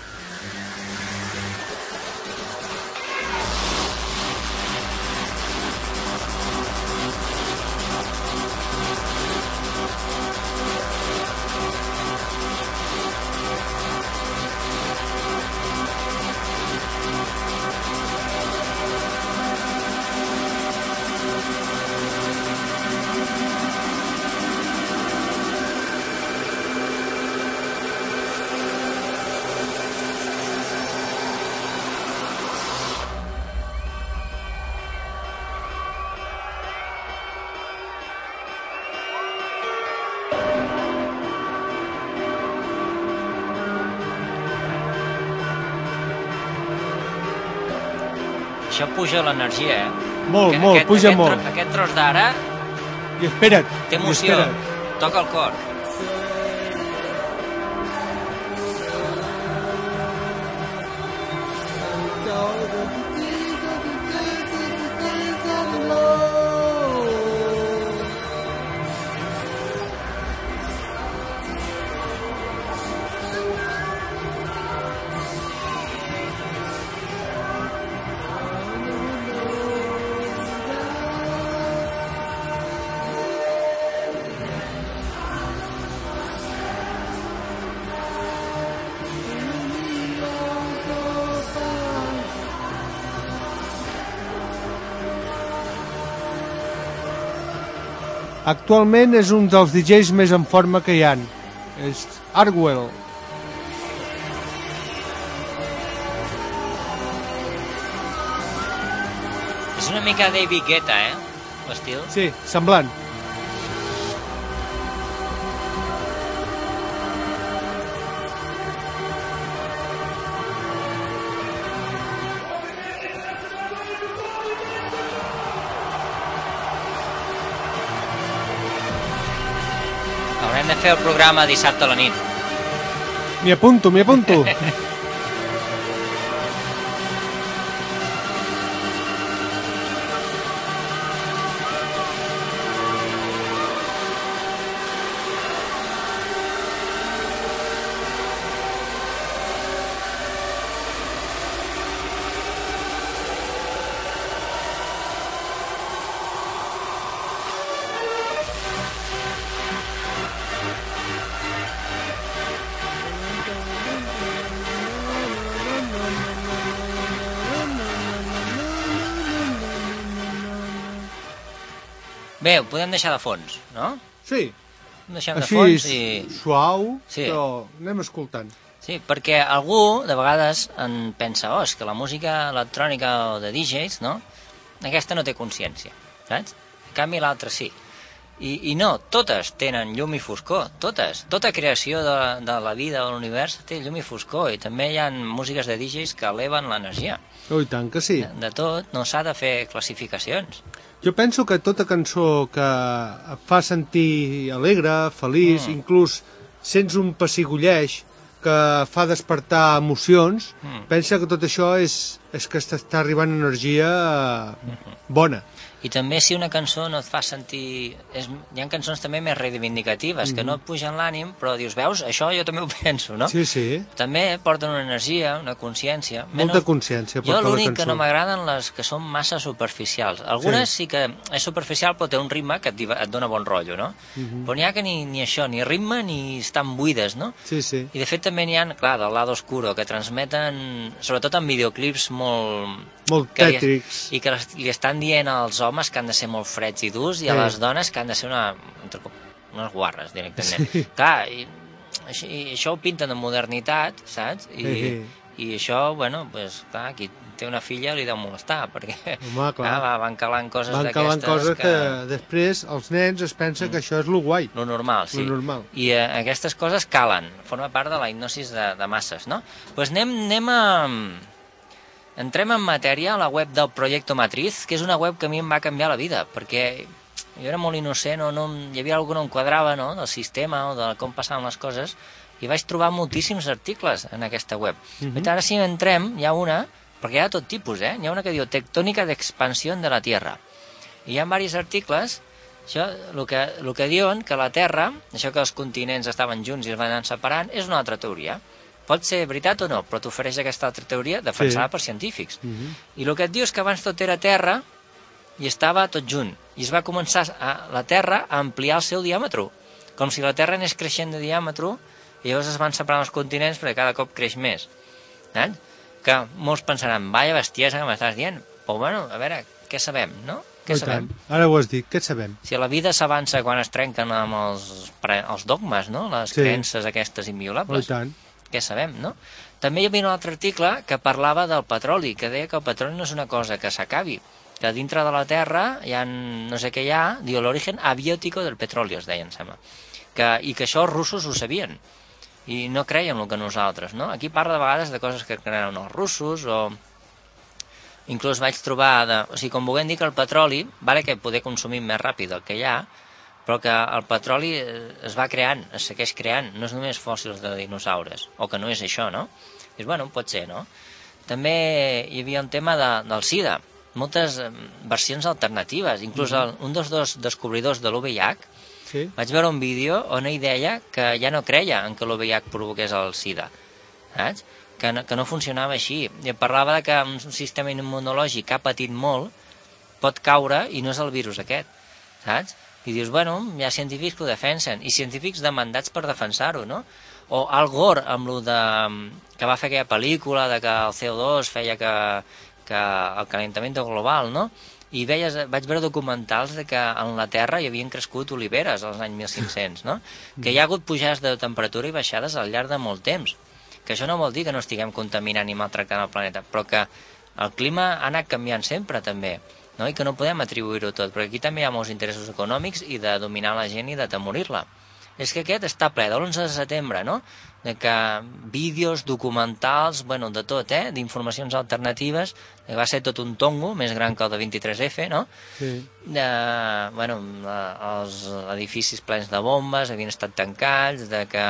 Això puja l'energia, eh? Molt, aquest, molt, aquest, puja aquest, molt. Aquest tros d'ara... I espera't. Té emoció, toca el cor. Actualment és un dels D Js més en forma que hi ha. És Hardwell. És una mica David Guetta, eh? L'estil. Sí, semblant. Haurem de fer el programa dissabte a la nit. M'hi apunto, m'hi apunto. Bé, ho podem deixar de fons, no? Sí. Ho deixem de Així fons i... suau, Sí. però anem escoltant. Sí, perquè algú de vegades en pensa, oh, és que la música electrònica o de D Js, no? Aquesta no té consciència, saps? En canvi l'altra sí. I, I no, totes tenen llum i foscor, totes. Tota creació de, de la vida o l'univers té llum i foscor, i també hi ha músiques de D Js que eleven l'energia. Oh, i tant que sí. De, de tot, no s'ha de fer classificacions. Jo penso que tota cançó que et fa sentir alegre, feliç, mm. inclús sents un pessigolleig que fa despertar emocions, mm. pensa que tot això és, és que t'està arribant energia mm-hmm. bona. I també si una cançó no et fa sentir... És... Hi ha cançons també més reivindicatives, mm-hmm. que no et pugen l'ànim, però dius, veus, això jo també ho penso, no? Sí, sí. També porten una energia, una consciència. Molta Menys... consciència porta la cançó. Jo l'únic que no m'agraden les que són massa superficials. Algunes sí. sí que és superficial, però té un ritme que et, diva... et dona bon rotllo, no? Mm-hmm. Però n'hi ha que ni, ni això, ni ritme, ni estan buides, no? Sí, sí. I de fet també n'hi ha, clar, del lado oscuro, que transmeten, sobretot en videoclips molt... Molt tètrics. I que li estan dient als homes que han de ser molt freds i durs i a les dones que han de ser una, unes guarres directament. Sí. Clar, i, i això ho pinten de modernitat, saps? I, sí. i això, bueno, pues, clar, qui té una filla li deu molestar, perquè Home, clar. Clar, van calant coses van d'aquestes calant coses que... que després els nens es pensen mm. que això és lo guai. Lo normal, sí. Lo normal. I eh, aquestes coses calen, forma part de la hipnosis de, de masses, no? Doncs pues anem, anem a... Entrem en matèria a la web del Proyecto Matriz, que és una web que a mi em va canviar la vida, perquè jo era molt innocent, no, no, hi havia alguna que no em quadrava, no?, del sistema o de com passaven les coses, i vaig trobar moltíssims articles en aquesta web. Uh-huh. Ara si entrem, hi ha una, perquè hi ha tot tipus, eh? Hi ha una que diu Tectònica d'expansió de la Tierra. I hi ha diversos articles, això, el que, el que diuen que la Terra, això que els continents estaven junts i es van anar separant, és una altra teoria. Pot ser veritat o no, però t'ofereix aquesta altra teoria defensada sí. per científics. Uh-huh. I el que et diu és que abans tot era Terra i estava tot junt. I es va començar a, la Terra a ampliar el seu diàmetre, com si la Terra anés creixent de diàmetre i llavors es van separant els continents perquè cada cop creix més. Eh? Que molts pensaran, vaya bestiesa que m'estàs dient, però bueno, a veure, què sabem, no? Què sabem? Ara ho has dit, què sabem? Si la vida s'avança quan es trenquen amb els, els dogmes, no? Les sí. creences aquestes inviolables. I tant. Què sabem, no? També hi havia un altre article que parlava del petroli, que deia que el petroli no és una cosa que s'acabi, que dintre de la Terra hi ha, no sé què hi ha, diu l'origen abiòtico del petroli, es deia, em sembla. Que, I que això els russos ho sabien, i no creien el que nosaltres, no? Aquí parla de vegades de coses que creuen els russos, o... Inclús vaig trobar, de... o sigui, com vulguem dir que el petroli, vale que poder consumir més ràpid del que hi ha, però que el petroli es va creant, es segueix creant, no és només fòssils de dinosaures, o que no és això, no? Dius, bueno, pot ser, no? També hi havia un tema de, del SIDA, moltes versions alternatives, inclús el, un dels dos descobridors de l'U V I H, sí. Vaig veure un vídeo on ell deia que ja no creia en que l'U V I H provoqués el SIDA, saps? Que no, que no funcionava així. I parlava de que un sistema immunològic que ha patit molt pot caure i no és el virus aquest, saps? I dius, bueno, hi ha científics que ho defensen, i científics demandats per defensar-ho, no? O Al Gore, amb lo de, que va fer aquella pel·lícula de que el C O dos feia que, que el calentament global, no? I veies, vaig veure documentals de que en la Terra hi havien crescut oliveres als anys mil cinc-cents, no? Que hi ha hagut pujades de temperatura i baixades al llarg de molt temps. Que això no vol dir que no estiguem contaminant i maltractant el planeta, però que el clima ha anat canviant sempre, també, no? I que no podem atribuir-ho tot, perquè aquí també hi ha molts interessos econòmics i de dominar la gent i d'atemorir-la. És que aquest està ple de l'onze de setembre, no? De que vídeos, documentals, bueno, de tot, eh? D'informacions alternatives, que va ser tot un tongo, més gran que el de vint-i-tres efe, no? Sí. De, bueno, els edificis plens de bombes havien estat tancats, de que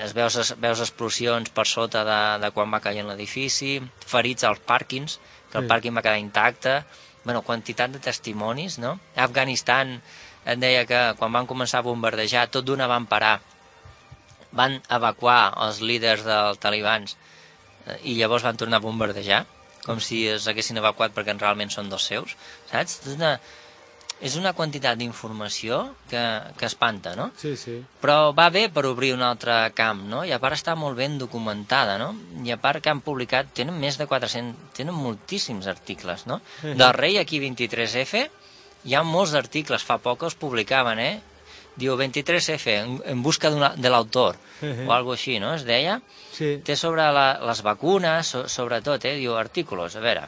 es veus, veus explosions per sota de, de quan va caient l'edifici, ferits als pàrquings, que el Sí. pàrquing va quedar intacte, bueno, quantitat de testimonis, no? A Afganistan et deia que quan van començar a bombardejar, tot d'una van parar, van evacuar els líders dels talibans eh, i llavors van tornar a bombardejar, com si els haguessin evacuat perquè realment són dels seus, saps? És una, és una quantitat d'informació que, que espanta, no? Sí, sí. Però va bé per obrir un altre camp, no? I a part està molt ben documentada, no? I a part que han publicat, tenen més de quatre-cents, tenen moltíssims articles, no? Del rei aquí vint-i-tres efe hi ha molts articles, fa poc els publicaven, eh? Diu vint-i-tres efe, en, en busca de l'autor, o algo així, no? Es deia. Sí. Té sobre la, les vacunes, so, sobretot, eh? Diu artículos, a veure.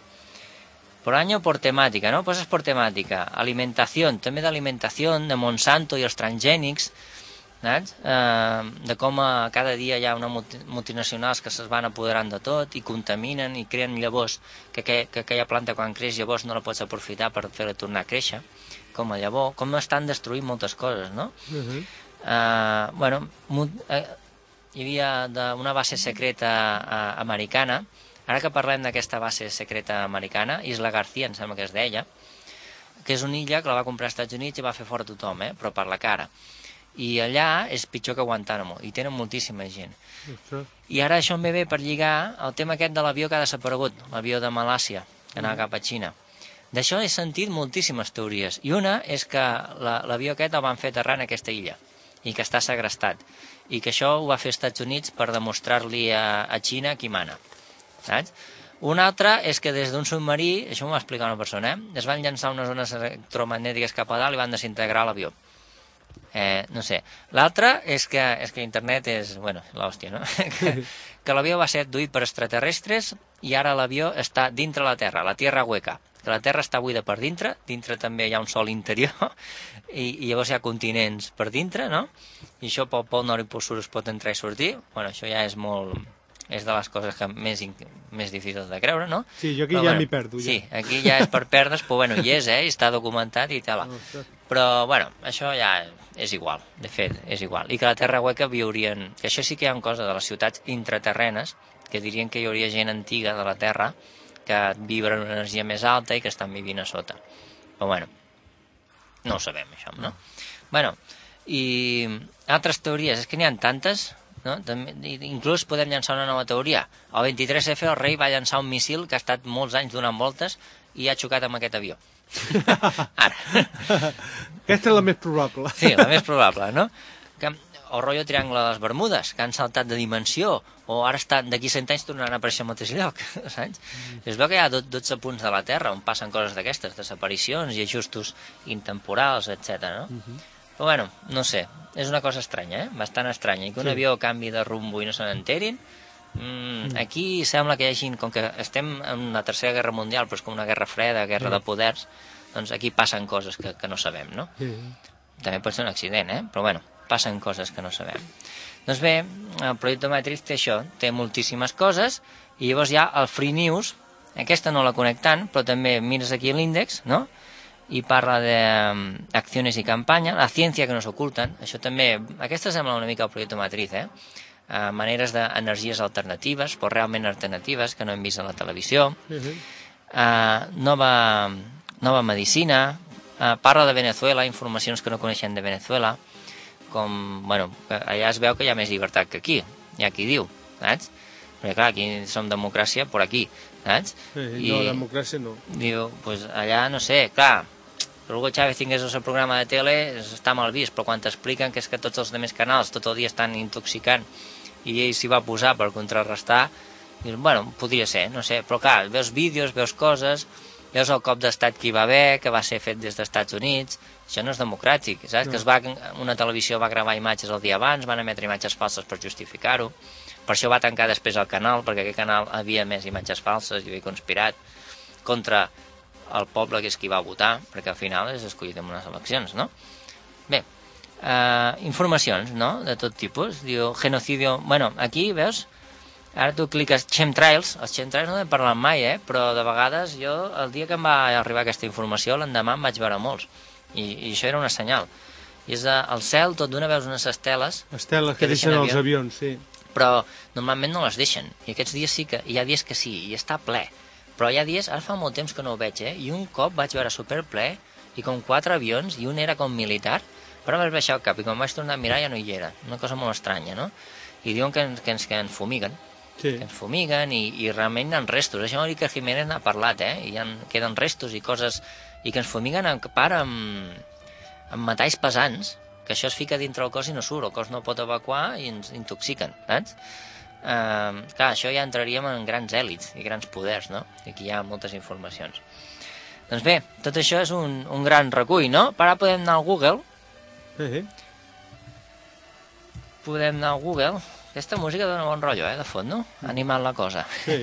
Por año por temática, ¿no? Pues es por temática. Alimentación, també d'alimentació, de Monsanto i els transgènics, saps? Eh, de com a cada dia hi ha una multi, multinacionals que se's van apoderant de tot i contaminen i creen llavors que, que, que aquella planta quan creix llavors no la pots aprofitar per fer-la tornar a créixer, com a llavor, com estan destruint moltes coses, no? Uh -huh. eh, bueno, eh, hi havia de, una base secreta eh, americana. Ara que parlem d'aquesta base secreta americana, Isla García, em sembla que es deia, que és una illa que la va comprar als Estats Units i va fer fora tothom, eh? Però per la cara. I allà és pitjor que Guantánamo, i tenen moltíssima gent. Ostres. I ara això em ve bé per lligar el tema aquest de l'avió que ha desaparegut, l'avió de Malàsia, que anava cap a Xina. D'això he sentit moltíssimes teories, i una és que l'avió aquest el van fer aterrar en aquesta illa, i que està segrestat, i que això ho va fer als Estats Units per demostrar-li a, a Xina qui mana. Saps? Una altra és que des d'un submarí, això m'ho va explicar una persona, eh? Es van llançar unes ones electromagnètiques cap a dalt i van desintegrar l'avió. Eh, no sé. L'altra és que, és que internet és, bueno, l'hòstia, no? que que l'avió va ser abduït per extraterrestres i ara l'avió està dintre la Terra, la Tierra hueca, que la Terra està buida per dintre, dintre també hi ha un sol interior i, i llavors hi ha continents per dintre, no? I això pel pol nord i pol sud es pot entrar i sortir. Bueno, això ja és molt... és de les coses que més, més difícils de creure, no? Sí, jo aquí però, ja bueno, m'hi perdo. Ja. Sí, aquí ja és per perdre's, però bueno, hi és, eh? I està documentat i tal. Però, bueno, això ja és igual, de fet, és igual. I que la Terra hueca viurien... Que això sí que hi ha coses de les ciutats intraterrenes que dirien que hi hauria gent antiga de la Terra que vibra en una energia més alta i que estan vivint a sota. Però, bueno, no ho sabem, això, no? Bueno, i altres teories, és que n'hi ha tantes... No? També, inclús podem llançar una nova teoria. El vint-i-tres efe el rei va llançar un missil que ha estat molts anys donant voltes i ha xocat amb aquest avió. Ara. Aquesta és la més probable. Sí, la més probable, no? Que, o rotllo triangle de les Bermudes, que han saltat de dimensió, o ara estan d'aquí cent anys tornaran a aparèixer al mateix lloc, saps? Mm. Es veu que hi ha dotze punts de la Terra on passen coses d'aquestes, desaparicions i ajustos intemporals, etcètera, no? Mm -hmm. Però bueno, no sé, és una cosa estranya, eh? Bastant estranya, i que un sí. avió canvi de rumbo i no se n'enterin. Mm, aquí sembla que hi hagi, com que estem en la tercera guerra mundial, però és com una guerra freda, guerra sí. de poders, doncs aquí passen coses que, que no sabem, no? Sí. També pot ser un accident, eh? Però bueno, passen coses que no sabem. Doncs bé, el projecte Matrix té això, té moltíssimes coses, i llavors hi ha el Free News, aquesta no la conec tant, però també mires aquí l'índex, no?, i parla d'accions i campanya, la ciència que nos oculten, això també, aquesta sembla una mica el projecte Matriz, eh? Uh, maneres d'energies alternatives, però realment alternatives, que no hem vist a la televisió, uh, nova, nova medicina, uh, parla de Venezuela, informacions que no coneixem de Venezuela, com, bueno, allà es veu que hi ha més llibertat que aquí, hi ha qui diu, saps? Perquè clar, aquí som democràcia per aquí, saps? Sí, I, no, democràcia no. Diu, pues allà, no sé, clar, que Hugo Chávez tingués el seu programa de tele està mal vist, però quan t'expliquen que és que tots els altres canals tot el dia estan intoxicant i ell s'hi va posar per contrarrestar, Dius, bueno, podria ser, no sé, però clar, veus vídeos, veus coses, veus el cop d'estat que hi va haver, que va ser fet des dels Estats Units, això no és democràtic, saps? No. Que es va, una televisió va gravar imatges el dia abans, van emetre imatges falses per justificar-ho, per això va tancar després el canal, perquè aquest canal havia més imatges falses i havia conspirat contra el poble que és qui va votar, perquè al final és escollit en unes eleccions, no? Bé, eh, informacions, no?, de tot tipus, diu genocidio... Bueno, aquí, veus, ara tu cliques chemtrails, els chemtrails no n'he parlat mai, eh, però de vegades jo, el dia que em va arribar aquesta informació, l'endemà em vaig veure molts, i, i això era una senyal. I és al cel, tot d'una veus unes esteles... Esteles que, que deixen, deixen els avions, sí. Però normalment no les deixen, i aquests dies sí que, hi ha dies que sí, i està ple, però hi ha dies, ara fa molt temps que no ho veig, eh, i un cop vaig veure superple, i com quatre avions, i un era com militar, però vaig baixar el cap, i quan vaig tornar a mirar ja no hi era, una cosa molt estranya, no? I diuen que ens, que ens, que ens fumiguen, sí. que ens fumiguen, i, i realment hi ha restos, això l'Iker Jiménez n'ha parlat, eh, i hi ha, queden restos i coses, i que ens fumiguen en part amb, amb metalls pesants, que això es fica dintre el cos i no surt, el cos no pot evacuar i ens intoxiquen, saps? Uh, clar, això ja entraríem en grans èlits i grans poders, no? I aquí hi ha moltes informacions. Doncs bé, tot això és un, un gran recull, no? Per ara podem anar al Google. Sí. Podem anar al Google. Aquesta música dona bon rotllo, eh, de fons, no? Animant la cosa. Sí,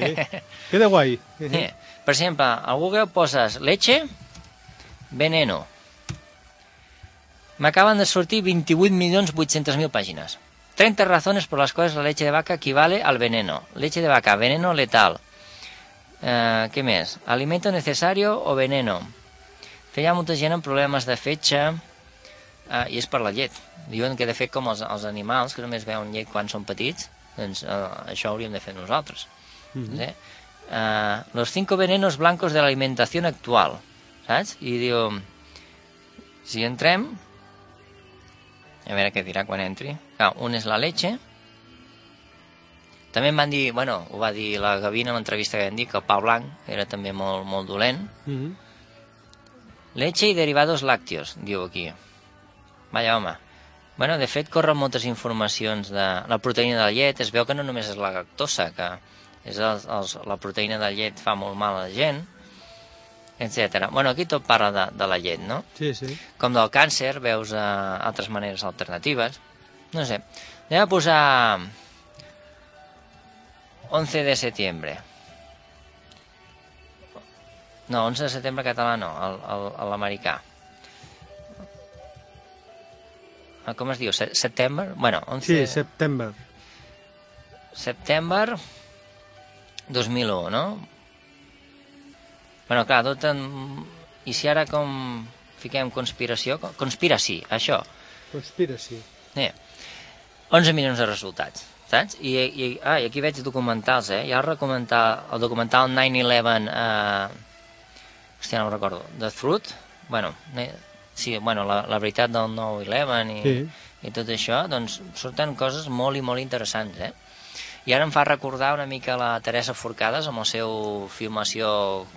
queda guai. Sí. Sí. Per exemple, al Google poses leche, veneno. M'acaben de sortir veintiocho milions vuit-cents mil pàgines. treinta razones por las cuales la leche de vaca equivale al veneno. Leche de vaca, veneno letal. Eh, què més? Alimento necesario o veneno. Feia molta gent amb problemes de fetge, eh, i és per la llet. Diuen que de fet com els, els animals, que només veuen llet quan són petits, doncs eh, això hauríem de fer nosaltres. Mm-hmm. Sí? eh, los cinco venenos blancos de la alimentación actual. Saps? I diu, si entrem, a veure què dirà quan entri. Clar, un és la leche. També em van dir, bueno, ho va dir la Gavina en l'entrevista que vam dir, que el pa blanc era també molt, molt dolent. Mm-hmm. Leche i derivados lácteos, diu aquí. Vaja, home. Bueno, de fet, corren moltes informacions de la proteïna de la llet. Es veu que no només és la lactosa, que és el, els, la proteïna de la llet fa molt mal a la gent, etcètera. Bueno, aquí tot parla de, de la llet, no? Sí, sí. Com del càncer, veus uh, altres maneres alternatives. No sé. Anem a posar once de setembre. No, once de setembre català no, l'americà. Com es diu? Setembre? Bueno, once... Sí, setembre. Setembre dos mil u, no? Bueno, clar, tot en... I si ara com fiquem conspiració... Conspiracy, això. Conspiracy. Eh. onze milions de resultats, saps? I, i, ah, i aquí veig documentals, eh? Hi ha el, el documental nine eleven... Eh... Hòstia, no ho recordo. The Truth? Bueno, sí, bueno, la, la veritat del nine eleven i, sí. i tot això, doncs surten coses molt i molt interessants, eh? I ara em fa recordar una mica la Teresa Forcades amb la seva filmació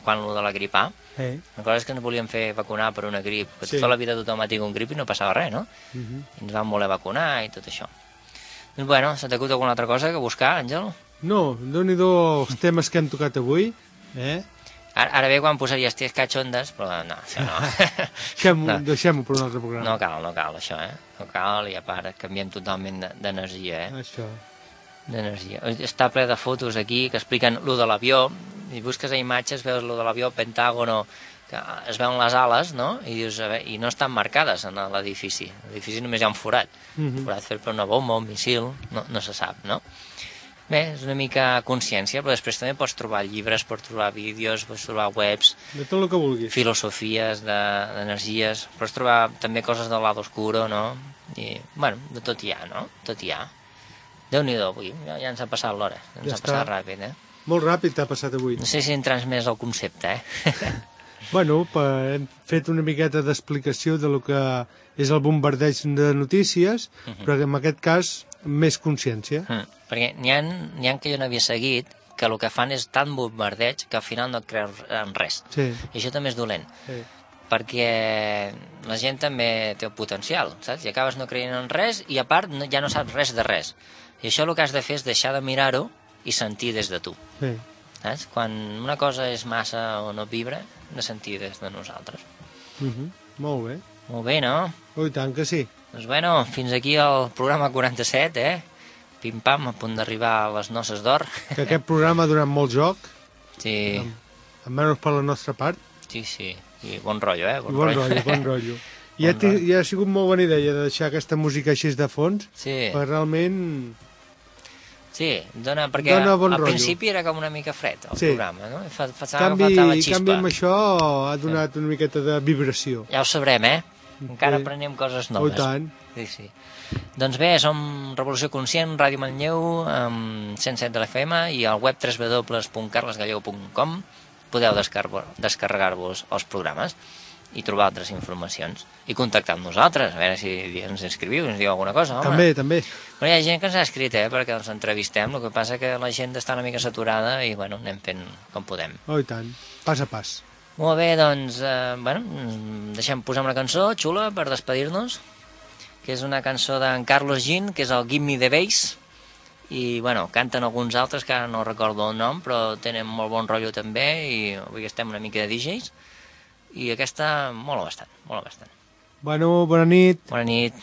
quan lo de la grip A. Sí. Recordes que ens volien fer vacunar per una grip, que sí. Tota la vida tothom ha tingut un grip i no passava res, no? Uh-huh. I ens van voler vacunar i tot això. Doncs bueno, se t'acut alguna altra cosa que buscar, Àngel? No, Déu-n'hi-do els temes que hem tocat avui, eh? Ara, ara bé quan posaries ties cachondes, però no, això no. Deixem-ho no. deixem per un altre programa. No cal, no cal això, eh? No cal, i a part canviem totalment d'energia, eh? Això. D'energia. Està ple de fotos aquí que expliquen lo de l'avió, i busques a imatges, veus lo de l'avió, Pentàgono, que es veuen les ales, no? I dius, a veure, i no estan marcades en l'edifici. L'edifici només hi ha un forat. Mm-hmm. Forat fet per una bomba, un missil, no, no se sap, no? Bé, és una mica consciència, però després també pots trobar llibres, pots trobar vídeos, pots trobar webs... De tot el que vulguis. Filosofies, d'energies... De, pots trobar també coses del lado oscuro, no? I, bueno, de tot hi ha, no? Tot hi ha. Déu-n'hi-do, avui, ja, ja ens ha passat l'hora, ens ja ha passat està. Ràpid, eh? Molt ràpid t'ha passat avui. No sé si hem transmès el concepte, eh? Bueno, hem fet una miqueta d'explicació de lo que és el bombardeig de notícies, uh -huh. però en aquest cas més consciència. Uh -huh. Perquè n'hi ha, n'hi ha que jo no havia seguit, que el que fan és tant bombardeig que al final no et creus en res. Sí. I això també és dolent. Sí. Perquè la gent també té el potencial, saps? I acabes no creient en res i a part no, ja no saps res de res. I això el que has de fer és deixar de mirar-ho i sentir des de tu. Sí. Saps? Quan una cosa és massa o no vibra, de sentir des de nosaltres. Uh -huh. Molt bé. Molt bé, no? Oh, i tant que sí. Doncs bueno, fins aquí el programa quaranta-set, eh? Pim-pam, a punt d'arribar a les noces d'or. Que aquest programa ha donat molt joc, Sí, almenys per la nostra part. sí, sí. I bon rotllo, eh? Bon, bon rotllo, bon rotllo. I Bon ha, ti- i ha sigut molt bona idea de deixar aquesta música així de fons, Sí, perquè realment... sí, dona, perquè Dona bon al rotllo. principi era com una mica fred, el Sí. programa, no? I fa, fa, Canvi, faltava xispa. canvi amb això ha donat una miqueta de vibració. Ja ho sabrem, eh? Encara Sí. aprenem coses Oh, i noves. tant. Sí, sí. Doncs bé, som Revolució Conscient, Ràdio Manlleu, amb cent set de l'F M i al web w w w punt carlesgallego punt com podeu descar- descarregar-vos els programes i trobar altres informacions i contactar amb nosaltres, a veure si ens inscriviu, ens diu alguna cosa, home. També, també. Bueno, hi ha gent que ens ha escrit, eh, perquè ens entrevistem, el que passa que la gent està una mica saturada i, bueno, anem fent com podem. Oh, i tant. Pas a pas. Molt bé, doncs, eh, bueno, deixem posar una cançó xula per despedir-nos, que és una cançó d'en Carlos Jean, que és el Give Me the Bass, i, bueno, canten alguns altres que ara no recordo el nom, però tenen molt bon rotllo també, i avui estem una mica de D Js, i aquesta mola bastant, mola bastant. Bueno, bona nit. Bona nit.